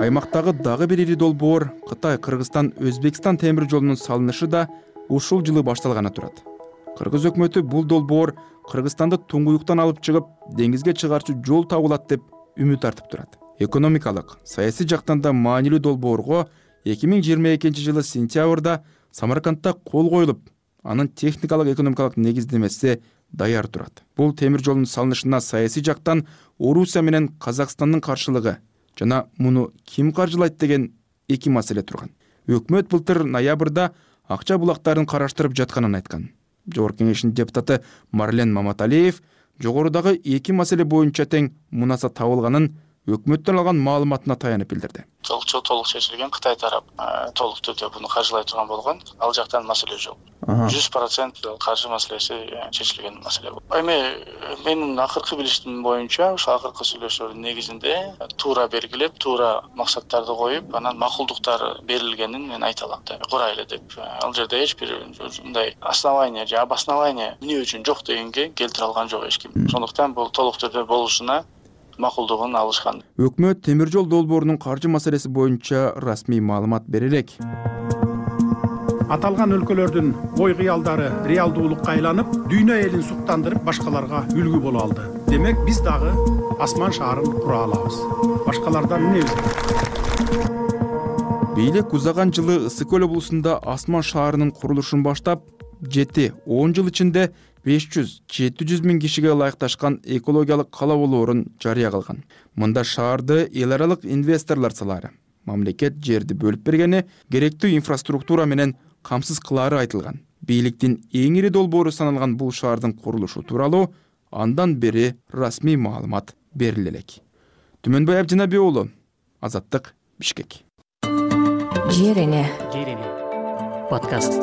Аймактагы дагы бир ири долбоор Кытай Кыргызстан Өзбекстан темир жолунун салынышы да ушул жылы башталганы турат. Кыргыз өкмөтү бул долбоор Кыргызстанды туңгуюктан алып чыгып, деңизге чыгарчу жол табылат деп үмүт артып турат. Экономикалык, саясий жактан да маанилүү долбоорго эки миң жыйырма экинчи жылы сентябрда Самаркандта кол коюлуп, анын техникалык экономикалык негиздемеси даяр турат. Бул темир жолдун салынышына саясий жактан Орусия менен Казакстандын каршылыгы жана муну ким каржылайт деген эки маселе турган. Өкмөт былтыр ноябрда акча булактарын караштырып жатканын айткан. Жогорку кеңештин депутаты Марлен Маматалиев жогорудагы эки маселе боюнча тең мунаса табылганын өкмөттөн алган маалыматына таянып билдирди. Толукчу толук чечилген, Кытай тарап толук түрдө буну каржылай турган болгон, ал жактан маселе жок. жүз процент каржы маселеси чечилген маселе. Эми менин акыркы билишим боюнча, ошо акыркы сүйлөшүүлөрдүн негизинде туура белгилеп, туура максаттарды коюп, анан макулдуктар берилгенин мен айта алам. Курайлы деп. Ал жерде эч бир мындай основание же обоснование эмне үчүн жок дегенге келтире алган жок эч ким. Сондуктан бул толук түрдө болушуна макулдугун алышкан. Өкмөт темир жол долбоорунун каржы маселеси боюнча расмий маалымат бере элек. Аталган өлкөлөрдүн ой кыялдары реалдуулукка айланып, дүйнө элин суктандырып, башкаларга үлгү боло алды. Демек, биз дагы асман шаарын кура алабыз. Башкалардан эмне өзгөчү? Бийлик узаган жылы Ысык көл облусунда асман шаарынын курулушун баштап, жети он жыл ичинде беш жүз жети жүз миң кишиге ылайыкташкан экологиялык кала болоорун жарыя кылган. Мында шаарды эл аралык инвесторлор салары, мамлекет жерди бөлүп бергени, керектүү инфраструктура менен камсыз кылаары айтылган. Бийликтин эң ири долбоору саналган бул шаардын курулушу тууралуу андан бери расмий маалымат бериле элек. Түмөнбай Абдинаби уулу, Азаттык, Бишкек. Жерине подкаст.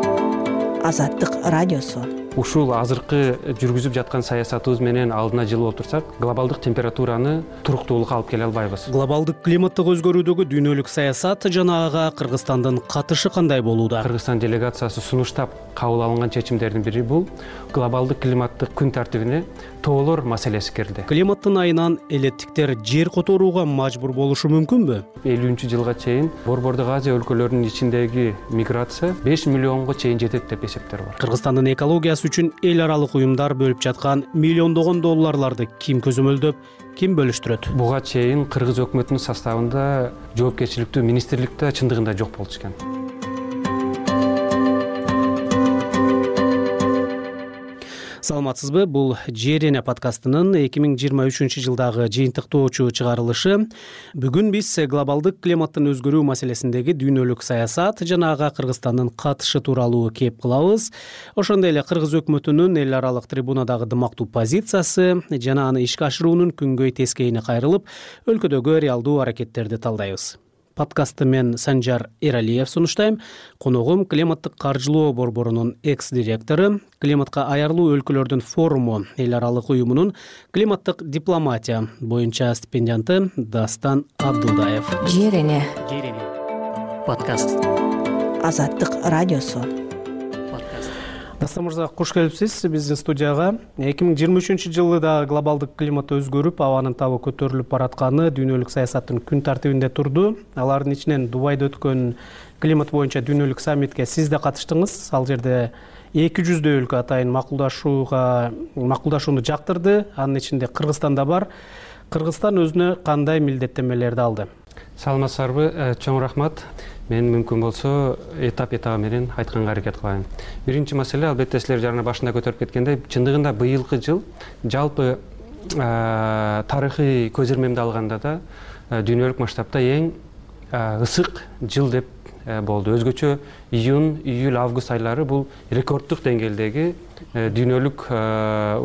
Азаттык радиосу. Ушул азыркы жүргүзүп жаткан саясатыбыз менен алдына жылып отурсак, глобалдык температураны туруктуулукка алып келе албайбыз. Глобалдык климаттык өзгөрүүдөгү дүйнөлүк саясат жана ага Кыргызстандын катышы кандай болууда? Кыргызстан делегациясы сунуштап кабыл алынган чечимдердин бири бул глобалдык климаттык күн тартибине тоолор маселеси кирди. Климаттын айынан элеттиктер жер которууга мажбур болушу мүмкүнбү? элүүнчү жылга чейин Борбордук Азия өлкөлөрүнүн ичиндеги миграция беш миллионго чейин жетет деп эсептер бар. Кыргызстандын экологиясы үчүн эл аралык уюмдар бөлүп жаткан миллиондогон долларларды ким көзөмөлдөп, ким бөлүштүрөт? Буга чейин Кыргыз өкмөтүнүн составында жоопкерчиликтүү министрликте чындыгында жок болчу экен. Саламатсызбы? Бул Жерине подкастынын эки миң жыйырма үчүнчү жылдагы жыйынтыктоочу чыгарылышы. Бүгүн биз глобалдык климаттын өзгөрүү маселесиндеги дүйнөлүк саясат жана ага Кыргызстандын катышы тууралуу кеп кылабыз. Ошондой эле Кыргыз өкмөтүнүн эл аралык трибунадагы дымактуу позициясы жана аны ишке ашыруунун күнгөй тескейине кайрылып, өлкөдөгү реалдуу аракеттерди талдайбыз. Подкастты мен Санжар Эралиев сунуштайм. Коногум климаттык каржылоо борборунун экс-директору, климатка аярлуу өлкөлөрдүн форуму эл аралык уюмунун климаттык дипломатия боюнча стипендианты Дастан Абдылдаев. Жерине подкаст. Азаттык радиосу. Дастан мырза, куш келипсиз биздин студияга. эки миң жыйырма үчүнчү жылы да глобалдык климат өзгөрүп, абанын табы көтөрүлүп баратканы дүйнөлүк саясаттын күн тартибинде турду. Алардын ичинен Дубайда өткөн климат боюнча дүйнөлүк саммитке сиз да катыштыңыз. Ал жерде эки жүздөй өлкө атайын макулдашууга макулдашууну жактырды. Анын ичинде Кыргызстан да бар. Кыргызстан өзүнө кандай милдеттенмелерди алды? Саламатсыздарбы, чоң рахмат. Мен мүмкүн болсо этап этабы менен айтканга аракет кылайын. Биринчи маселе, албетте силер жарына башында көтөрүп кеткендей, чындыгында быйылкы жыл жалпы тарыхый көз ирмемди алганда да дүйнөлүк масштабта эң ысык жыл деп болду. Өзгөчө июнь, июль, август айлары бул рекорддук деңгээлдеги дүйнөлүк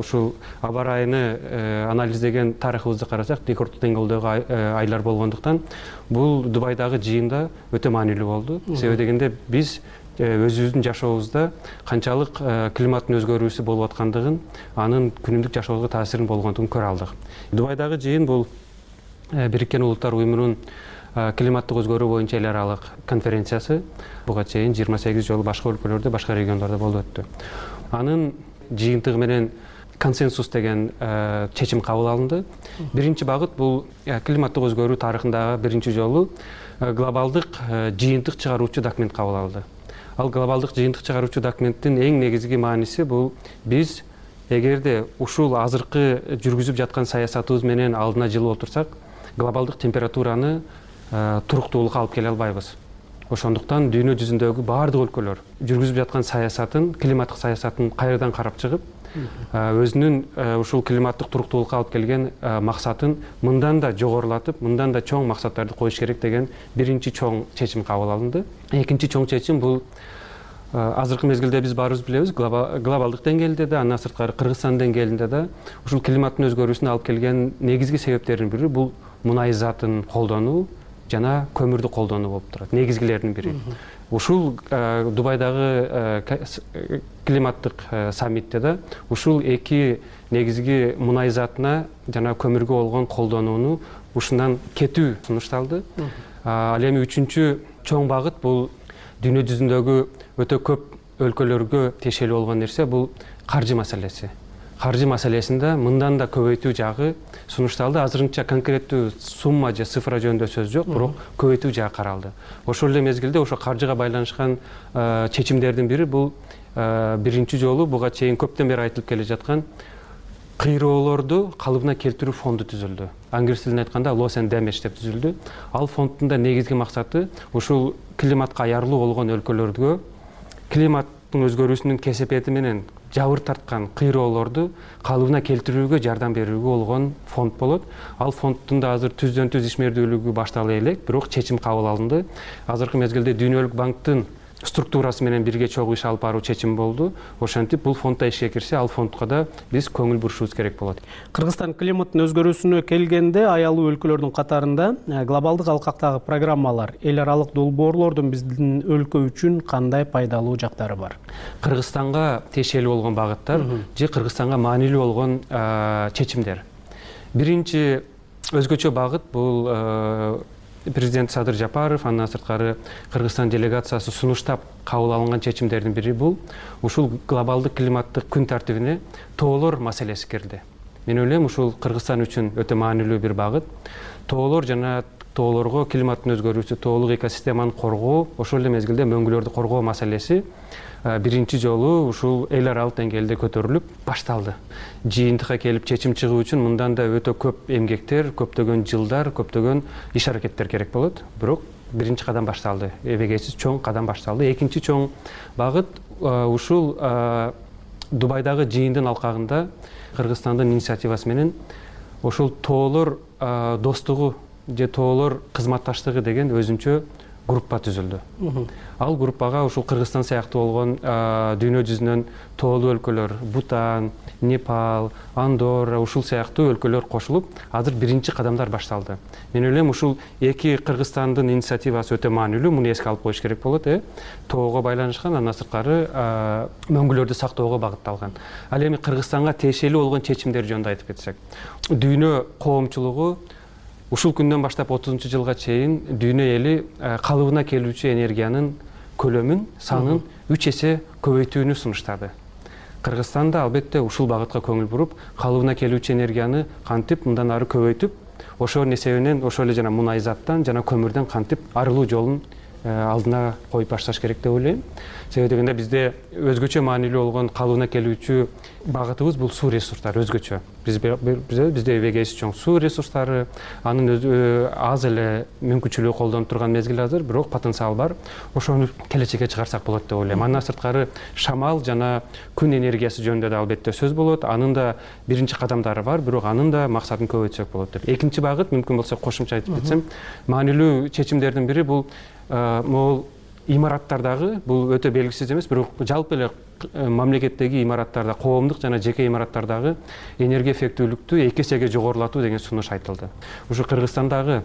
ушул аба ырайыны анализдеген тарыхыбызды карасак, рекорддук деңгээлдеги айлар болгондуктан бул Дубайдагы жыйында өтө маанилүү болду. Себеби дегенде биз өзүбүздүн жашообузда канчалык климаттын өзгөрүүсү болуп аткандыгын, анын күнүмдүк жашообузга таасирин болгондугун көрө алдык. Дубайдагы жыйын бул Бириккен Улуттар Уюмунун климаттык өзгөрүү боюнча эл аралык конференциясы. Буга чейин жыйырма сегиз жолу башка өлкөлөрдө, башка региондордо болуп өттү. Анын жыйынтыгы менен консенсус деген чечим кабыл алынды. Биринчи багыт бул климаттык өзгөрүү тарыхындагы биринчи жолу глобалдык жыйынтык чыгаруучу документ кабыл алынды. Ал глобалдык жыйынтык чыгаруучу документтин эң негизги мааниси бул биз эгерде ушул азыркы жүргүзүп жаткан саясатыбыз менен алдына жылып отурсак, глобалдык температураны туруктуулукка алып келе албайбыз. Ошондуктан дүйнө жүзүндөгү баардык өлкөлөр жүргүзүп жаткан саясатын, климаттык саясатын кайрадан карап чыгып, өзүнүн ушул климаттык туруктуулукка алып келген максатын мындан да жогорулатып, мындан да чоң максаттарды коюш керек деген биринчи чоң чечим кабыл алынды. Экинчи чоң чечим бул азыркы мезгилде биз баарыбыз билебиз, глобалдык деңгээлде да, андан сырткары Кыргызстан деңгээлинде да ушул климаттын өзгөрүүсүнө алып келген негизги себептердин бири бул мунай затын колдонуу жана көмүрдү колдонуу болуп турат. Негизгилердин бири. Ушул Дубайдагы климаттык саммитте да ушул эки негизги мунай затына жана көмүргө болгон колдонууну ушундан кетүү сунушталды. Ал эми үчүнчү чоң багыт бул дүйнө жүзүндөгү өтө көп өлкөлөргө тиешелүү болгон нерсе бул каржы маселеси. Каржы маселесинде мындан да көбөйтүү жагы сунушталды. Азырынча конкреттүү сумма же цифра жөнүндө сөз жок, бирок көбөйтүү жагы каралды. Ошол эле мезгилде ошо каржыга байланышкан чечимдердин бири бул биринчи жолу буга чейин көптөн бери айтылып келе жаткан кыйроолорду калыбына келтирүү фонду түзүлдү. Англис тилинде айтканда loss and damage деп түзүлдү. Ал фонддун да негизги максаты ушул климатка аярлуу болгон өлкөлөргө климаттын өзгөрүүсүнүн кесепети менен жабыр тарткан кыйроолорду калыбына келтирүүгө жардам берүүгө болгон фонд болот. Ал фонддун да азыр түздөн түз ишмердүүлүгү баштала элек, бирок чечим кабыл алынды. Азыркы мезгилде Дүйнөлүк банктын структурасы менен бирге чогуу иш алып баруу чечим болду. Ошентип бул фондда ишке кирсе, ал фондко да биз көңүл бурушубуз керек болот. Кыргызстан климаттын өзгөрүүсүнө келгенде аялуу өлкөлөрдүн катарында глобалдык алкактагы программалар, эл аралык долбоорлордун биздин өлкө үчүн кандай пайдалуу жактары бар? Кыргызстанга тиешелүү болгон багыттар же Кыргызстанга маанилүү болгон чечимдер. Биринчи өзгөчө багыт бул Президент Садыр Жапаров, андан сырткары Кыргызстан делегациясы сунуштап кабыл алынган чечимдердин бири бул ушул глобалдык климаттык күн тартибине тоолор маселеси кирди. Мен ойлойм, ушул Кыргызстан үчүн өтө маанилүү бир багыт. Тоолор жана тоолорго климаттын өзгөрүүсү, тоолук экосистеманы коргоо, ошол эле мезгилде мөңгүлөрдү коргоо маселеси биринчи жолу ушул эл аралык деңгээлде көтөрүлүп башталды. Жыйынтыкка келип чечим чыгуу үчүн мындан да өтө көп эмгектер, көптөгөн жылдар, көптөгөн иш аракеттер керек болот. Бирок биринчи кадам башталды. Эбегейсиз чоң кадам башталды. Экинчи чоң багыт ушул Дубайдагы жыйындын алкагында Кыргызстандын инициативасы менен ошол тоолор достугу же тоолор кызматташтыгы деген өзүнчө группа түзүлдү. Ал группага ушул Кыргызстан сыяктуу болгон дүйнө жүзүнөн тоолуу өлкөлөр, Бутан, Непал, Андорра, ушул сыяктуу өлкөлөр кошулуп, азыр биринчи кадамдар башталды. Мен ойлойм, ушул эки Кыргызстандын инициативасы өтө маанилүү, муну эске алып коюш керек болот, э. Тоого байланышкан, андан сырткары мөңгүлөрдү сактоого багытталган. Ал эми Кыргызстанга тиешелүү болгон чечимдер жөнүндө айтып кетсек, дүйнө коомчулугу ушул күндөн баштап отузунчу жылга чейин дүйнө эли калыбына келүүчү энергиянын көлөмүн, санын үч эсе көбөйтүүнү сунуштады. Кыргызстан да албетте ушул багытка көңүл буруп, калыбына келүүчү энергияны кантип мындан ары көбөйтүп, ошонун эсебинен ошол эле жана мунай заттан жана көмүрдөн кантип арылуу жолун алдына коюп башташ керек деп ойлойм. Себеби дегенде бизде өзгөчө маанилүү болгон калыбына келүүчү багытыбыз бул суу ресурстары өзгөчө. Бизде бизде эбегейсиз чоң суу ресурстары, анын аз эле мүмкүнчүлүгү колдонуп турган мезгил азыр, бирок потенциал бар. Ошону келечекке чыгарсак болот деп ойлойм. Андан сырткары шамал жана күн энергиясы жөнүндө да албетте сөз болот. Анын да биринчи кадамдары бар, бирок анын да максатын көбөйтсөк болот деп. Экинчи багыт, мүмкүн болсо кошумча айтып кетсем, маанилүү чечимдердин бири бул могул имараттардагы бул өтө белгисиз эмес, бирок жалпы эле мамлекеттеги имараттарда, коомдук жана жеке имараттардагы энергия эффектүүлүктү эки эсеге жогорулатуу деген сунуш айтылды. Ушу Кыргызстандагы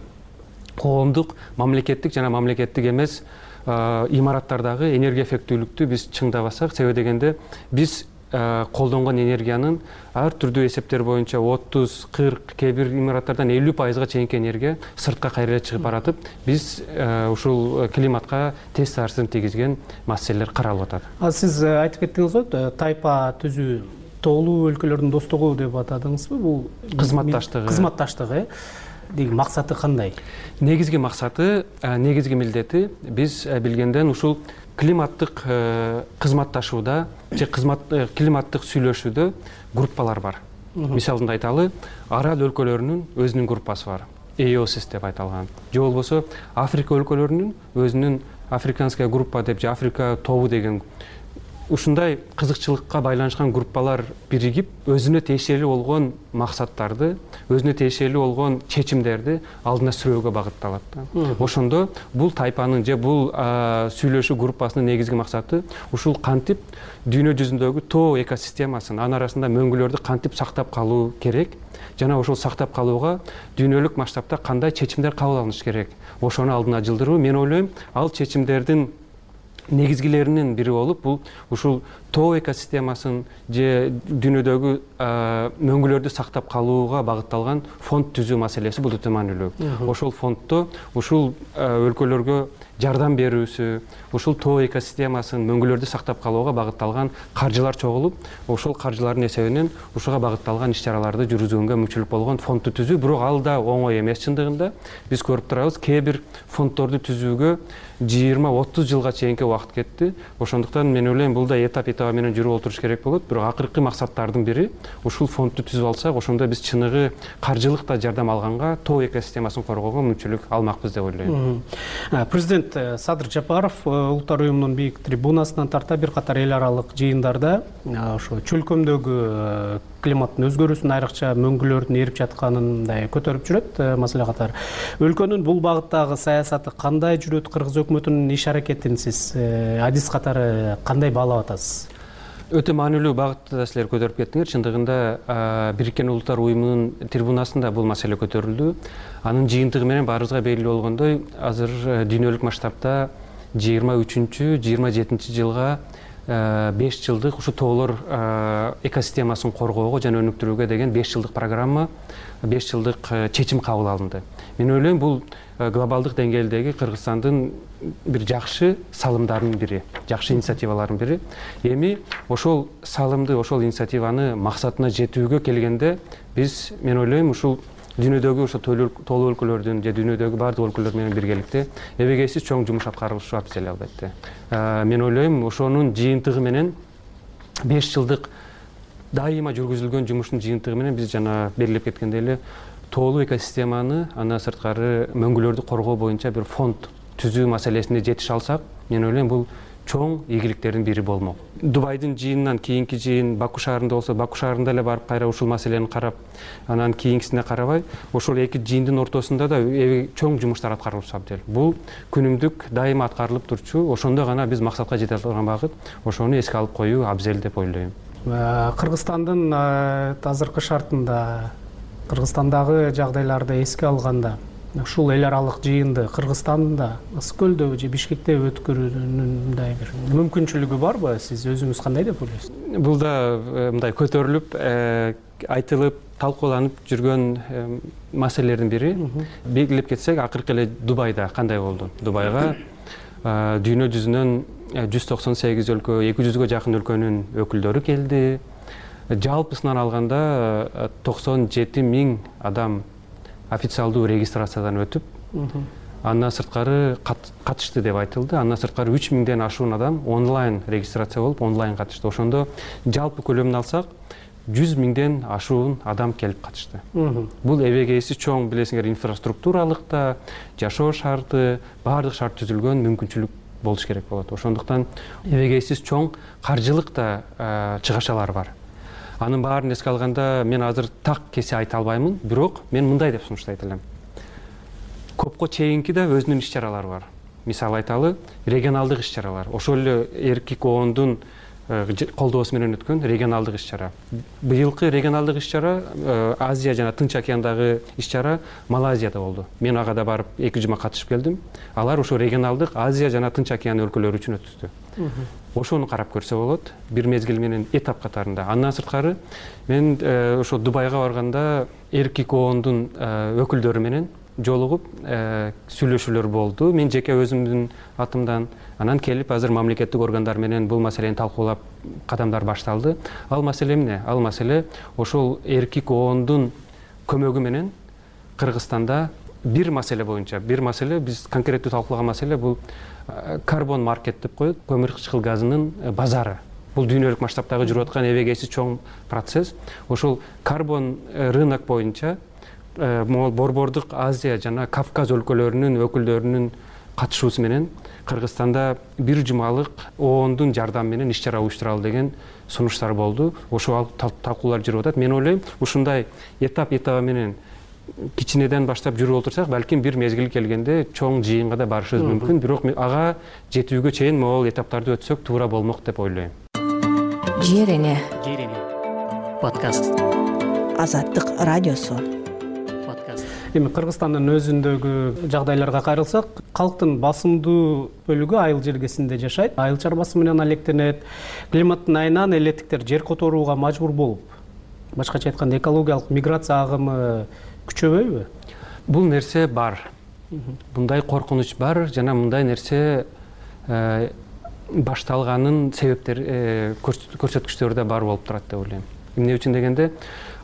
коомдук, мамлекеттик жана мамлекеттик эмес имараттардагы энергия эффектүүлүктү биз чыңдабасак, себеби дегенде биз колдонгон энергиянын ар түрдүү эсептер боюнча отуз, кырк, кээ бир имараттардан элүү пайызга чейинки энергия сыртка кайра чыгып баратып, биз ушул климатка терс таасирин тийгизген маселелер каралып атат. А сиз айтып кеттиңиз го, тайпа түзүү тоолуу өлкөлөрдүн достугу деп атадыңызбы? Бул кызматташтыгы. Кызматташтыгы деген максаты кандай? Негизги максаты, негизги милдети биз билгенден ушул климаттык кызматташууда же климаттык сүйлөшүүдө группалар бар. Мисалында айталы, арал өлкөлөрүнүн өзүнүн группасы бар. и о эс деп айтылган. Же болбосо Африка өлкөлөрүнүн өзүнүн африканская группа деп же Африка тобу деген ушундай кызыкчылыкка байланышкан группалар биригип, өзүнө тиешелүү болгон максаттарды, өзүнө тиешелүү болгон чечимдерди алдына сүрөөгө багытталат. Ошондо бул тайпанын же бул сүйлөшүү группасынын негизги максаты ушул кантип дүйнө жүзүндөгү тоо экосистемасын, анын арасында мөңгүлөрдү кантип сактап калуу керек, жана ошол сактап калууга дүйнөлүк масштабта кандай чечимдер кабыл алыныш керек, ошону алдына жылдыруу. Мен ойлойм, ал чечимдердин негизгилеринин бири болуп, бул ушул тоо экосистемасын же дүйнөдөгү мөңгүлөрдү сактап калууга багытталган фонд түзүү маселеси бул өтө маанилүү. Ошол фонддо ушул өлкөлөргө жардам берүүсү, ушул тоо экосистемасын мөңгүлөрдү сактап калууга багытталган каржылар чогулуп, ошол каржылардын эсебинен ушуга багытталган иш-чараларды жүргүзгөнгө мүмкүнчүлүк болгон фондду түзүү. Бирок ал да оңой эмес чындыгында. Биз көрүп турабыз, кээ бир фонддорду түзүүгө жыйырма отуз жылга чейинки убакыт кетти. Ошондуктан мен ойлойм, бул да этап этабы менен жүрүп отуруш керек болот. Бирок акыркы максаттардын бири ушул фондду түзүп алсак, ошондо биз чыныгы каржылык да жардам алганга, тоо экосистемасын коргоого мүмкүнчүлүк алмакпыз деп ойлойм. Президент Садыр Жапаров улуттар уюмунун бийик трибунасынан тарта бир катар эл аралык жыйындарда ошо чөлкөмдөгү климаттын өзгөрүүсүн, айрыкча мөңгүлөрдүн эрип жатканын көтөрүп жүрөт. Маселе катары өлкөнүн бул багыттагы саясаты кандай жүрөт? Кыргыз өкмөтүнүн иш аракетин сиз адис катары кандай баалап атасыз? Өтө маанилүү багытта да силер көтөрүп кеттиңер. Чындыгында Бириккен Улуттар уюмунун трибунасында бул маселе көтөрүлдү. Анын жыйынтыгы менен баарыбызга белгилүү болгондой, азыр дүйнөлүк масштабта жыйырма үчүнчү жыйырма жетинчи жылга беш жылдык ушу тоолор экосистемасын коргоого жана өнүктүрүүгө деген беш жылдык программа, беш жылдык чечим кабыл алынды. Мен ойлойм, бул глобалдык деңгээлдеги Кыргызстандын бир жакшы салымдарынын бири, жакшы инициативалардын бири. Эми ошол салымды, ошол инициативаны максатына жетүүгө келгенде биз, мен ойлойм, ушул дүйнөдөгү ошо тоолуу өлкөлөрдүн же дүйнөдөгү бардык өлкөлөр менен биргеликте эбегейсиз чоң жумуш аткарылышы абзел албетте. Мен ойлойм, ошонун жыйынтыгы менен беш жылдык дайыма жүргүзүлгөн жумуштун жыйынтыгы менен биз жана белгилеп кеткендей эле тоолуу экосистеманы, андан сырткары мөңгүлөрдү коргоо боюнча бир фонд түзүү маселесине жетише алсак, мен ойлойм, бул чоң ийгиликтердин бири болмок. Дубайдын жыйынынан кийинки жыйын Баку шаарында болсо, Баку шаарында эле барып кайра ушул маселени карап, анан кийинкисине карабай, ошол эки жыйындын ортосунда да чоң жумуштар аткарылып абдел. Бул күнүмдүк дайыма аткарылып турчу, ошондо гана биз максатка жете алган багыт, ошону эске алып коюу абзел деп ойлойм. Кыргызстандын азыркы шартында, Кыргызстандагы жагдайларды эске алганда, ушул эл аралык жыйынды Кыргызстанда, Ысык көлдө же Бишкекте өткөрүүнүн мындай бир мүмкүнчүлүгү барбы? Сиз өзүңүз кандай деп ойлойсуз? Бул да мындай көтөрүлүп, айтылып, талкууланып жүргөн маселелердин бири. Белгилеп кетсек, акыркы эле Дубайда кандай болду? Дубайга дүйнө жүзүнөн жүз токсон сегиз өлкө, эки жүзгө жакын өлкөнүн өкүлдөрү келди. Жалпысынан алганда токсон жети миң адам официалдуу регистрациядан өтүп, андан сырткары катышты деп айтылды. Андан сырткары үч миңден ашуун адам онлайн регистрация болуп, онлайн катышты. Ошондо жалпы көлөмүн алсак, жүз миңден ашуун адам келип катышты. Бул эбегейсиз чоң, билесиңер, инфраструктуралык да, жашоо шарты, баардык шарт түзүлгөн мүмкүнчүлүк болуш керек болот. Ошондуктан эбегейсиз чоң каржылык да чыгашалар бар. Анын баарын эске алганда мен азыр так кесе айта албаймын, бирок мен мындай деп сунуштайт элем. Копко чейинки да өзүнүн иш-чаралары бар. мисал айталы регионалдык иш чаралар, ошол эле эркек коондун колдоосу менен өткөн регионалдык иш чара. Быйылкы регионалдык иш чара Азия жана Тынч океандагы иш чара Малайзияда болду. Мен ага да барып эки жума катышып келдим. Алар ошо регионалдык Азия жана Тынч океан өлкөлөрү үчүн өткөздү. Ошону карап көрсө болот, бир мезгил менен этап катарында. Андан сырткары мен ошо Дубайга барганда эркек коондун өкүлдөрү менен жолугуп сүйлөшүүлөр болду. Мен жеке өзүмдүн атымдан анан келип азыр мамлекеттик органдар менен бул маселени талкуулап кадамдар башталды. Ал маселе эмне? Ал маселе ошол эркек коондун көмөгү менен Кыргызстанда бир маселе боюнча, бир маселе биз конкреттүү талкуулаган маселе бул карбон маркет деп коет, көмүр кычкыл газынын базары. Бул дүйнөлүк масштабтагы жүрүп аткан эбегейсиз чоң процесс. Ошол карбон рынок боюнча могул борбордук Азия жана Кавказ өлкөлөрүнүн өкүлдөрүнүн катышуусу менен Кыргызстанда бир жумалык оондун жардамы менен иш чара уюштуралы деген сунуштар болду. Ошол талкуулар жүрүп атат. Мен ойлойм, ушундай этап этабы менен кичинеден баштап жүрүп отурсак, балким бир мезгил келгенде чоң жыйынга да барышыбыз мүмкүн. Бирок ага жетүүгө чейин могул этаптарды өтсөк туура болмок деп ойлойм. Жер эне подкаст. Азаттык радиосу. Эми Кыргызстандын өзүндөгү жагдайларга кайрылсак, калктын басымдуу бөлүгү айыл жергесинде жашайт. Айыл чарбасы менен алектенет. Климаттын айынан элеттиктер жер которууга мажбур болуп, башкача айтканда экологиялык миграция агымы күчөбөйбү? Бул нерсе бар. Мындай коркунуч бар жана мындай нерсе башталганын себептери, көрсөткүчтөрү да бар болуп турат деп ойлойм. Эмне үчүн дегенде,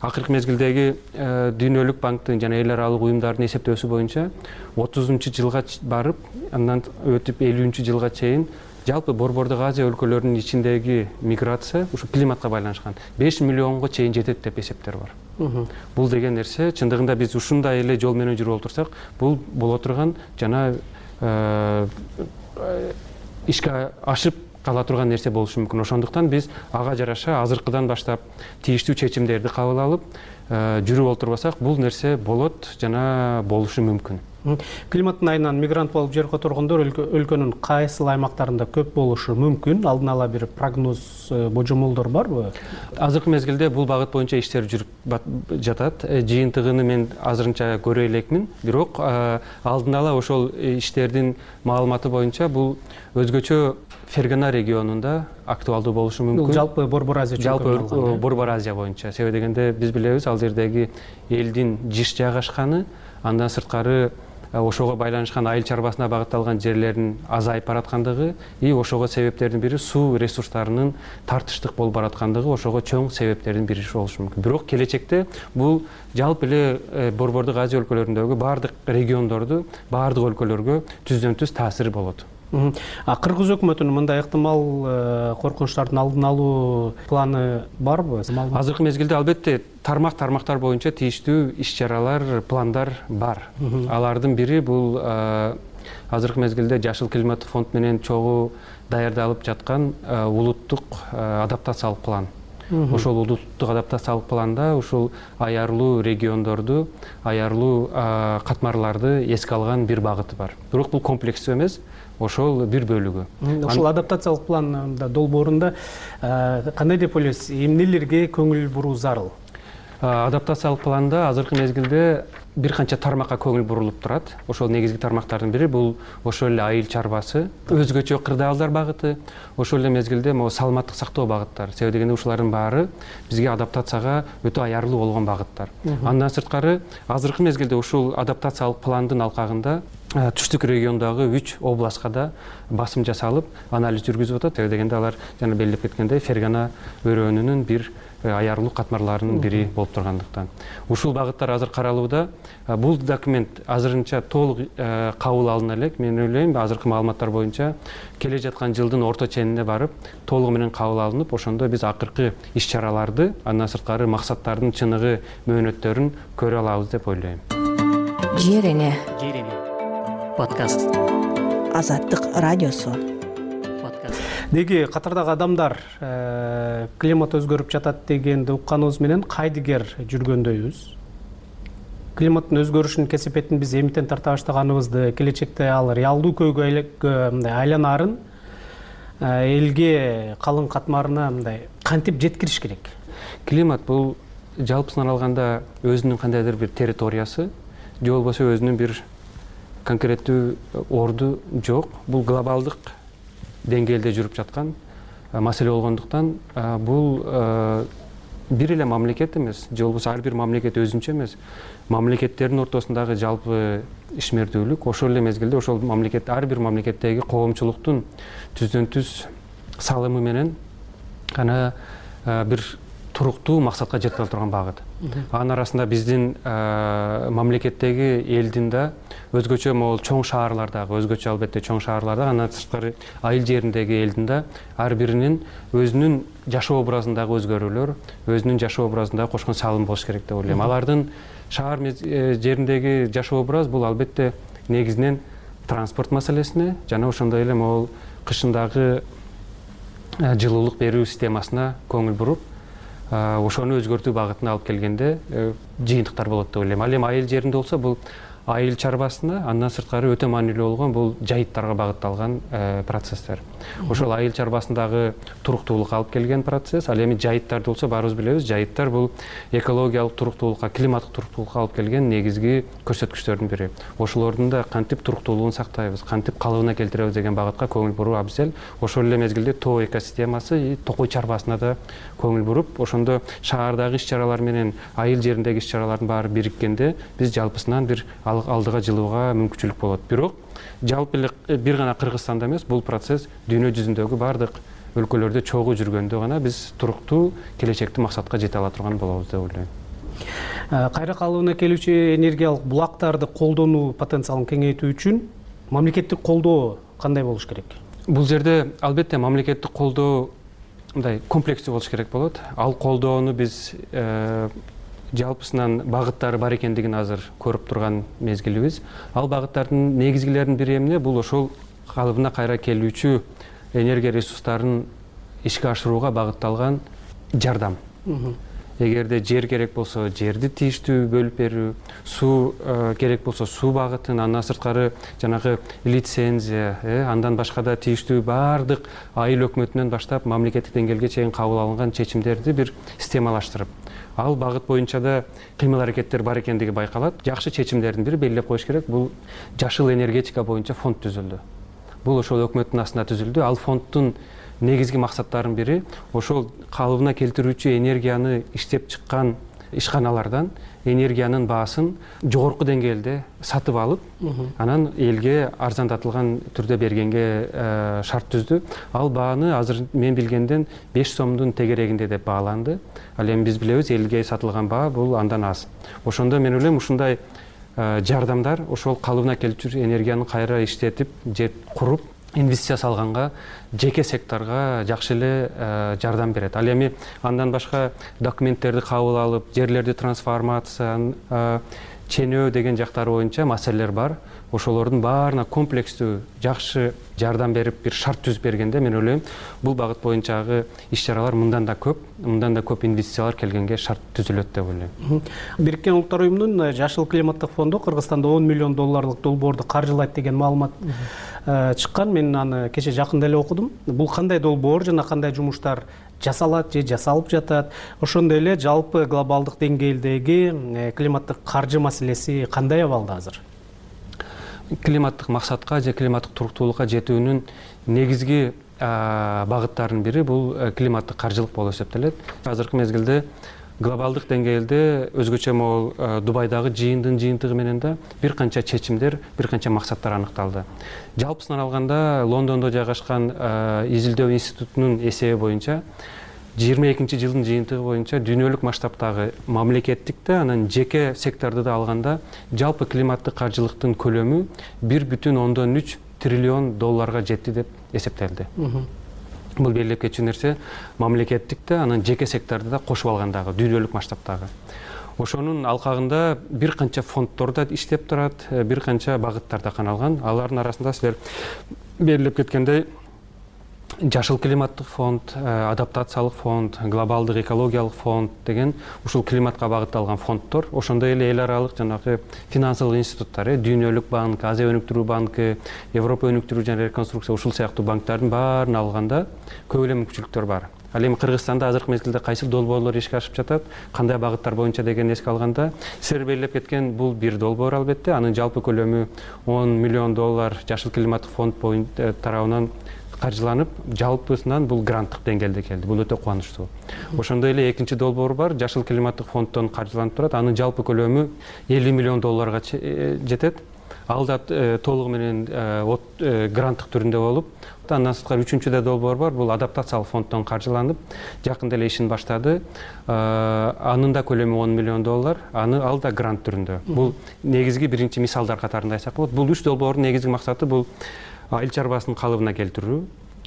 акыркы мезгилдеги Дүйнөлүк банктын жана эл аралык уюмдардын эсептөөсү боюнча отузунчу жылга барып, андан өтүп элүүнчү жылга чейин жалпы борбордук Азия өлкөлөрүнүн ичиндеги миграция ушу климатка байланышкан беш миллионго чейин жетет деп эсептер бар. Бул деген нерсе чындыгында биз ушундай эле жол менен жүрүп отурсак, бул боло турган жана ишке ашып кала турган нерсе болушу мүмкүн. Ошондуктан биз ага жараша азыркыдан баштап тийиштүү чечимдерди кабыл алып жүрүп отурбасак, бул нерсе болот жана болушу мүмкүн. Климаттын айынан мигрант болуп жер которгондор өлкөнүн кайсыл аймактарында көп болушу мүмкүн? Алдын ала бир прогноз, божомолдор барбы? Азыркы мезгилде бул багыт боюнча иштер жүрүп жатат. Жыйынтыгын мен азырынча көрө элекмин, бирок алдын ала ошол иштердин маалыматы боюнча бул өзгөчө Фергана регионунда актуалдуу болушу мүмкүн. Бул жалпы Борбор Азия чөйрөсү. Жалпы Борбор Азия боюнча. Себеби дегенде биз билебиз, ал жердеги элдин жиш жайгашканы, андан сырткары ошого байланышкан айыл чарбасына багытталган жерлердин азайып бараткандыгы, и ошого себептердин бири суу ресурстарынын тартыштык болуп бараткандыгы ошого чоң себептердин бири болушу мүмкүн. Бирок келечекте бул жалпы эле Борбордук Азия өлкөлөрүндөгү баардык региондорду, баардык өлкөлөргө түздөн түз таасири болот. Кыргыз өкмөтүнүн мындай ыктымал коркунучтардын алдын алуу планы барбы? Азыркы мезгилде албетте тармак тармактар боюнча тийиштүү иш чаралар, пландар бар. Алардын бири бул азыркы мезгилде Жашыл климат фонд менен чогуу даярдалып жаткан улуттук адаптациялык план. Ошол улуттук адаптациялык планда ушул аярлуу региондорду, аярлуу катмарларды эске алган бир багыты бар. Бирок бул комплекстүү эмес, ошол бир бөлүгү. Ошол адаптациялык пландын долбоорунда кандай деп ойлойсуз, эмнелерге көңүл буруу зарыл? Адаптациялык планда азыркы мезгилде бир канча тармакка көңүл бурулуп турат. Ошол негизги тармактардын бири бул ошол эле айыл чарбасы, өзгөчө кырдаалдар багыты, ошол эле мезгилде могу саламаттык сактоо багыттары. Себеби дегенде ушулардын баары бизге адаптацияга өтө аярлуу болгон багыттар. Андан сырткары азыркы мезгилде ушул адаптациялык пландын алкагында түштүк региондогу үч областка да басым жасалып, анализ жүргүзүп атат. Себеби дегенде алар жана белгилеп кеткендей Фергана өрөөнүнүн бир аярлуу катмарларынын бири болуп тургандыктан. Ушул багыттар азыр каралууда. Бул документ азырынча толук кабыл алына элек. Мен ойлойм, азыркы маалыматтар боюнча келе жаткан жылдын орто ченине барып, толугу менен кабыл алынып, ошондо биз акыркы иш чараларды, андан сырткары максаттардын чыныгы, мөөнөттөрүн көрө алабыз деп ойлойм. Жер эне подкаст. Азаттык радиосу. Деги катардагы адамдар климат өзгөрүп жатат дегенди укканыбыз менен кайдыгер жүргөндөйбүз? климаттын өзгөрүшүнүн кесепетин биз эмитен тарта баштаганыбызды, келечекте ал реалдуу көйгөйгө айланарын элге, калың катмарына мындай кантип жеткириш керек? Климат бул жалпысынан алганда өзүнүн кандайдыр бир территориясы, же болбосо өзүнүн бир конкреттүү орду жок. Бул глобалдык деңгээлде жүрүп жаткан маселе болгондуктан бул бир эле мамлекет эмес, же болбосо ар бир мамлекет өзүнчө эмес, мамлекеттердин ортосундагы жалпы ишмердүүлүк, ошол эле мезгилде ошол мамлекет, ар бир мамлекеттеги коомчулуктун түздөн түз салымы менен гана бир туруктуу максатка жете ала турган багыт. Анын арасында биздин мамлекеттеги элдин да өзгөчө могул чоң шаарлардагы, өзгөчө албетте чоң шаарларда, андан тышкары айыл жериндеги элдин да ар биринин өзүнүн жашоо образындагы өзгөрүүлөр, өзүнүн жашоо образындагы кошкон салымы болуш керек деп ойлойм. Алардын шаар жериндеги жашоо образ бул албетте негизинен транспорт маселесине жана ошондой эле могул кышындагы жылуулук берүү системасына көңүл буруп, ошону өзгөртүү багытына алып келгенде жыйынтыктар болот деп ойлойм. Ал эми айыл жеринде болсо бул айыл чарбасына, андан сырткары өтө маанилүү болгон бул жайыттарга багытталган процесстер. Ошол айыл чарбасындагы туруктуулукка алып келген процесс. Ал эми жайыттарды болсо баарыбыз билебиз, жайыттар бул экологиялык туруктуулукка, климаттык туруктуулукка алып келген негизги көрсөткүчтөрдүн бири. Ошолордун да кантип туруктуулугун сактайбыз, кантип калыбына келтиребиз деген багытка көңүл буруу абзел. Ошол эле мезгилде тоо экосистемасы, токой чарбасына да көңүл буруп, ошондо шаардагы иш-чаралар менен айыл жериндеги иш-чаралардын баары бириккенде биз жалпысынан бир алдыга жылууга мүмкүнчүлүк болот. Бирок жалпы эле бир гана Кыргызстанда эмес, бул процесс дүйнө жүзүндөгү бардык өлкөлөрдө чогуу жүргөндө гана биз туруктуу келечекти максатка жете ала турган болобуз деп ойлойм. Кайра калыбына келүүчү энергиялык булактарды колдонуу потенциалын кеңейтүү үчүн мамлекеттик колдоо кандай болуш керек? Бул жерде албетте мамлекеттик колдоо мындай комплекстүү болуш керек болот. Ал колдоону биз жалпысынан багыттары бар экендигин азыр көрүп турган мезгилибиз. Ал багыттардын негизгилеринин бири эмне? Бул ошол калыбына кайра келүүчү энергия ресурстарын ишке ашырууга багытталган жардам. Эгерде жер керек болсо жерди тийиштүү бөлүп берүү, суу керек болсо суу багытын, андан сырткары жанагы лицензия, андан башка да тийиштүү бардык айыл өкмөтүнөн баштап мамлекеттик деңгээлге чейин кабыл алынган чечимдерди бир системалаштырып, ал багыт боюнча да кыймыл аракеттер бар экендиги байкалат. Жакшы чечимдердин бири белгилеп коюш керек, бул жашыл энергетика боюнча фонд түзүлдү. Бул ошол өкмөттүн астында түзүлдү. Ал фонддун негизги максаттарынын бири ошол калыбына келтирүүчү энергияны иштеп чыккан ишканалардан энергиянын баасын жогорку деңгээлде сатып алып, анан элге арзандатылган түрдө бергенге шарт түздү. Ал бааны азыр мен билгенден беш сомдун тегерегинде деп бааланды. Ал эми биз билебиз, элге сатылган баа бул андан аз. Ошондо мен ойлойм, ушундай жардамдар ошол калыбына келүүчү энергияны кайра иштетип, же куруп, инвестиция салганга, жеке секторго жакшы эле жардам берет. Ал эми андан башка документтерди кабыл алып, жерлерди трансформация, ченөө деген жактары боюнча маселелер бар. Ошолордун баарына комплекстүү жакшы жардам берип, бир шарт түзүп бергенде мен ойлойм, бул багыт боюнчагы иш-чаралар мындан да көп, мындан да көп инвестициялар келгенге шарт түзүлөт деп ойлойм. Бириккен Улуттар уюмунун жашыл климаттык фонду Кыргызстанда он миллион долларлык долбоорду каржылайт деген маалымат чыккан. Мен аны кече жакында эле окудум. Бул кандай долбоор жана кандай жумуштар жасалат же жасалып жатат? Ошондой эле жалпы глобалдык деңгээлдеги климаттык каржы маселеси кандай абалда азыр? Климаттык максатка же климаттык туруктуулукка жетүүнүн негизги багыттарынын бири бул климаттык каржылык болуп эсептелет. Азыркы мезгилде глобалдык деңгээлде өзгөчө могул Дубайдагы жыйындын жыйынтыгы менен да бир канча чечимдер, бир канча максаттар аныкталды. Жалпысынан алганда Лондондо жайгашкан изилдөө институтунун эсеби боюнча жыйырма экинчи жылдын жыйынтыгы боюнча дүйнөлүк масштабтагы мамлекеттик да, анан жеке секторду да алганда жалпы климаттык каржылыктын көлөмү бир бүтүн ондон үч триллион долларга жетти деп эсептелди. Бул белгилеп кетчү нерсе мамлекеттик да, анан жеке секторду да кошуп алгандагы дүйнөлүк масштабтагы. Ошонун алкагында бир канча фонддор да иштеп турат, бир канча багыттар да каналган. Алардын арасында силер белгилеп кеткендей жашыл климаттык фонд, адаптациялык фонд, глобалдык экологиялык фонд деген ушул климатка багытталган фонддор, ошондой эле эл аралык жанагы финансылык институттар, Дүйнөлүк банк, Азия өнүктүрүү банкы, Европа өнүктүрүү жана реконструкция ушул сыяктуу банктардын баарын алганда көп эле мүмкүнчүлүктөр бар. Ал эми Кыргызстанда азыркы мезгилде кайсы долбоорлор ишке ашып жатат, кандай багыттар боюнча деген эске алганда, силер белгилеп кеткен бул бир долбоор албетте, анын жалпы көлөмү он миллион доллар жашыл климаттык фонд боюнча тарабынан каржыланып, жалпысынан бул гранттык деңгээлде келди. Бул өтө кубанычтуу. Ошондой эле экинчи долбоор бар, жашыл климаттык фонддон каржыланып турат. Анын жалпы көлөмү элүү миллион долларга жетет. Ал да толугу менен гранттык түрүндө болуп, андан сырткары үчүнчү да долбоор бар. Бул адаптациялык фонддон каржыланып, жакында эле ишин баштады. Анын да көлөмү он миллион доллар. Аны ал да грант түрүндө. Бул негизги биринчи мисалдар катарында айтсак болот. Бул үч долбоордун негизги максаты бул айыл чарбасын калыбына келтирүү,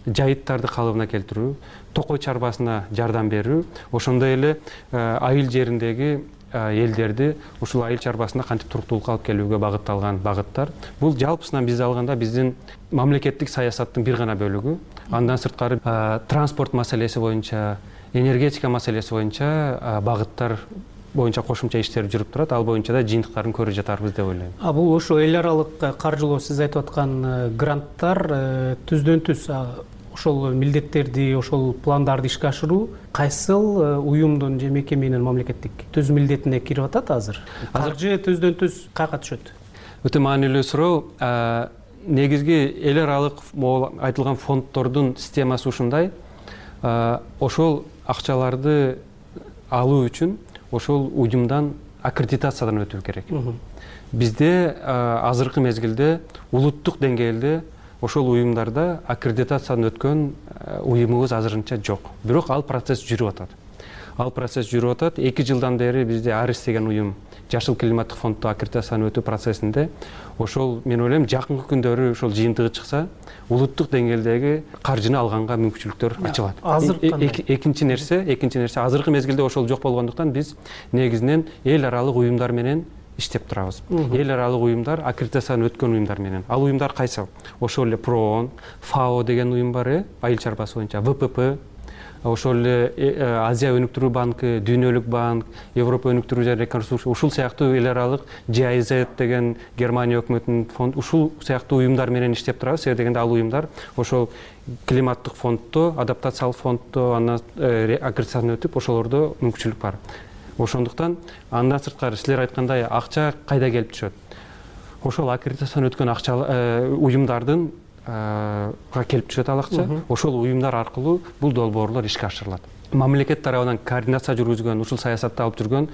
жайыттарды калыбына келтирүү, токой чарбасына жардам берүү, ошондой эле айыл жериндеги элдерди ушул айыл чарбасына кантип туруктуулукка алып келүүгө багытталган багыттар. Бул жалпысынан биз алганда биздин мамлекеттик саясаттын бир гана бөлүгү. Андан сырткары транспорт маселеси боюнча, энергетика маселеси боюнча багыттар боюнча кошумча иштер жүрүп турат. Ал боюнча да жыйынтыктарын көрүп жатарбыз деп ойлойм. А бул ошо эл аралык каржылоо, сиз айтып аткан гранттар түздөн түз ошол милдеттерди, ошол пландарды ишке ашыруу кайсыл уюмдун же мекеменин мамлекеттик түз милдетине кирип атат азыр? Каржы түздөн түз каяка түшөт? Өтө маанилүү суроо. Негизги эл аралык айтылган фонддордун системасы ушундай. Ошол акчаларды алуу үчүн ошол уюмдан аккредитациядан өтүү керек. Бизде азыркы мезгилде улуттук деңгээлде ошол уюмдарда аккредитациядан өткөн уюмубуз азырынча жок. Бирок ал процесс жүрүп атат. Ал процесс жүрүп атат. эки жылдан бери бизде Арис деген уюм жашыл климаттык фонддо аккредитациядан өтүү процессинде. Ошол мен ойлойм жакынкы күндөрү ошол жыйынтыгы чыкса, улуттук деңгээлдеги каржыны алганга мүмкүнчүлүктөр ачылат. Экинчи нерсе, экинчи нерсе азыркы мезгилде ошол жок болгондуктан биз негизинен эл аралык уюмдар менен иштеп турабыз. Эл аралык уюмдар, аккредитациядан өткөн уюмдар менен. Ал уюмдар кайсы? Ошол эле ПРООН, ФАО деген уюм бар, айыл чарбасы боюнча, ВПП, ошол эле Азия өнүктүрүү банкы, Дүйнөлүк банк, Европа өнүктүрүү жана реконструкция, ушул сыяктуу эл аралык джи ай зет деген Германия өкмөтүнүн фонд, ушул сыяктуу уюмдар менен иштеп турабыз. Себеби дегенде ал уюмдар ошол климаттык фонддо, адаптациялык фонддо андан аккредитациядан өтүп, ошолордо мүмкүнчүлүк бар. Ошондуктан андан сырткары силер айткандай акча кайда келип түшөт? Ошол аккредитациядан өткөн акча уюмдардын келип түшөт ал акча. Ошол уюмдар аркылуу бул долбоорлор ишке ашырылат. Мамлекет тарабынан координация жүргүзгөн, ушул саясатты алып жүргөн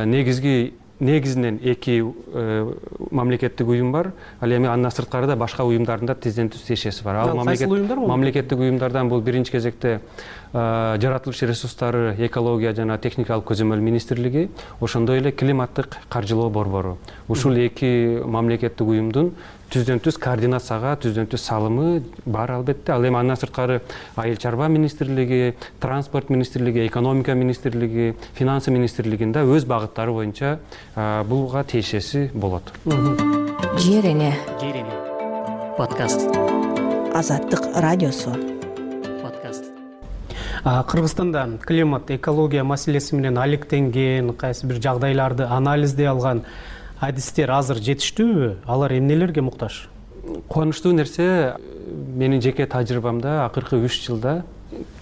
негизги негизинен эки мамлекеттик уюм бар. Ал эми андан сырткары да башка уюмдардын да тизден түз тиешеси бар. Ал мамлекеттик уюмдардан бул биринчи кезекте жаратылыш ресурстары, экология жана техникалык көзөмөл министрлиги, ошондой эле климаттык каржылоо борбору. Ушул эки мамлекеттик уюмдун түздөн түз координацияга, түздөн түз салымы бар албетте. Ал эми андан сырткары айыл чарба министрлиги, транспорт министрлиги, экономика министрлиги, финансы министрлигинде өз багыттары боюнча булга тиешеси болот. Жер эне подкаст. Азаттык радиосу. Кыргызстанда климат, экология маселеси менен алектенген, кайсы бир жагдайларды анализдей алган адистер азыр жетиштүүбү? Алар эмнелерге муктаж? Кубанычтуу нерсе, менин жеке тажрыйбамда акыркы үч жылда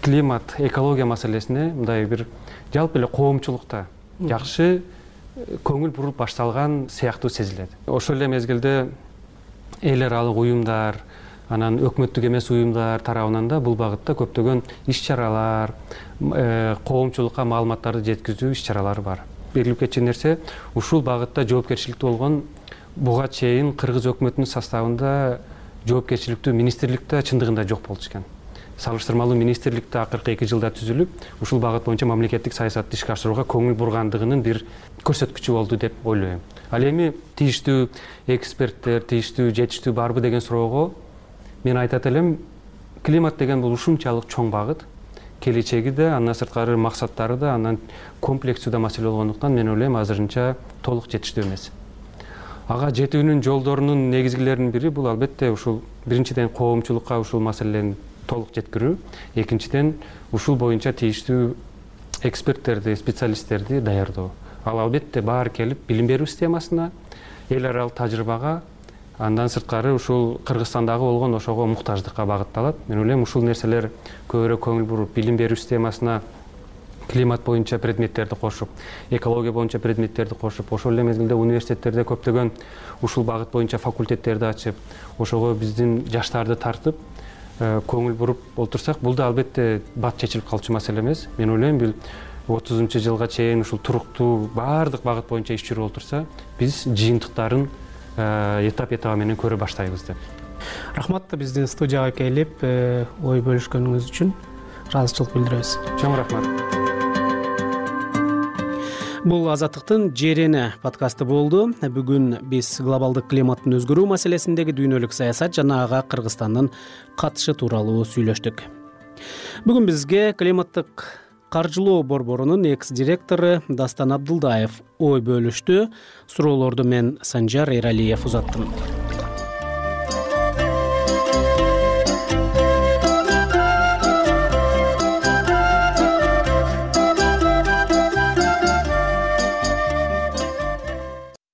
климат, экология маселесине мындай бир жалпы эле коомчулукта жакшы көңүл буруп башталган сыяктуу сезилет. Ошол эле мезгилде эл аралык уюмдар, анан өкмөттүк эмес уюмдар тарабынан да бул багытта көптөгөн иш-чаралар, коомчулукка маалыматтарды жеткизүү иш-чаралары бар. Белгилеп кетчү нерсе, ушул багытта жоопкерчиликтүү болгон буга чейин кыргыз өкмөтүнүн составында жоопкерчиликтүү министрликте чындыгында жок болчу экен. Салыштырмалуу министрликте акыркы эки жылда түзүлүп, ушул багыт боюнча мамлекеттик саясатты ишке ашырууга көңүл бургандыгынын бир көрсөткүчү болду деп ойлойм. Ал эми тийиштүү эксперттер, тийиштүү жетиштүү барбы деген суроого мен айтат элем, климат деген бул ушунчалык чоң багыт, келечеги да, андан сырткары максаттары да, андан комплексүү да маселе болгондуктан мен ойлойм азырынча толук жетиштүү эмес. Ага жетүүнүн жолдорунун негизгилеринин бири бул албетте ушул биринчиден коомчулукка ушул маселени толук жеткирүү, экинчиден ушул боюнча тийиштүү эксперттерди, специалисттерди даярдоо. Ал албетте баары келип билим берүү системасына, эл аралык тажрыйбага, андан сырткары ушул Кыргызстандагы болгон ошого муктаждыкка багытталат. Мен ойлойм ушул нерселер көбүрөөк көңүл буруп, билим берүү системасына климат боюнча предметтерди кошуп, экология боюнча предметтерди кошуп, ошол эле мезгилде университеттерде көптөгөн ушул багыт боюнча факультеттерди ачып, ошого биздин жаштарды тартып, көңүл буруп олтурсак, бул да албетте бат чечилип калчу маселе эмес. Мен ойлойм, бул отузунчу жылга чейин ушул туруктуу баардык багыт боюнча иш жүрүп олтурса, биз жыйынтыктарын этап этабы менен көрө баштайбыз деп. Рахмат, биздин студияга келип ой бөлүшкөнүңүз үчүн ыраазычылык билдиребиз. Чоң рахмат. Бул Азаттыктын Жерени подкасты болду. Бүгүн биз глобалдык климаттын өзгөрүү маселесиндеги дүйнөлүк саясат жана ага Кыргызстандын катышы тууралуу сүйлөштүк. Бүгүн бизге климаттык каржылоо борборунун экс-директору Дастан Абдылдаев ой бөлүштү. Суроолорду мен Санжар Эралиев узаттым.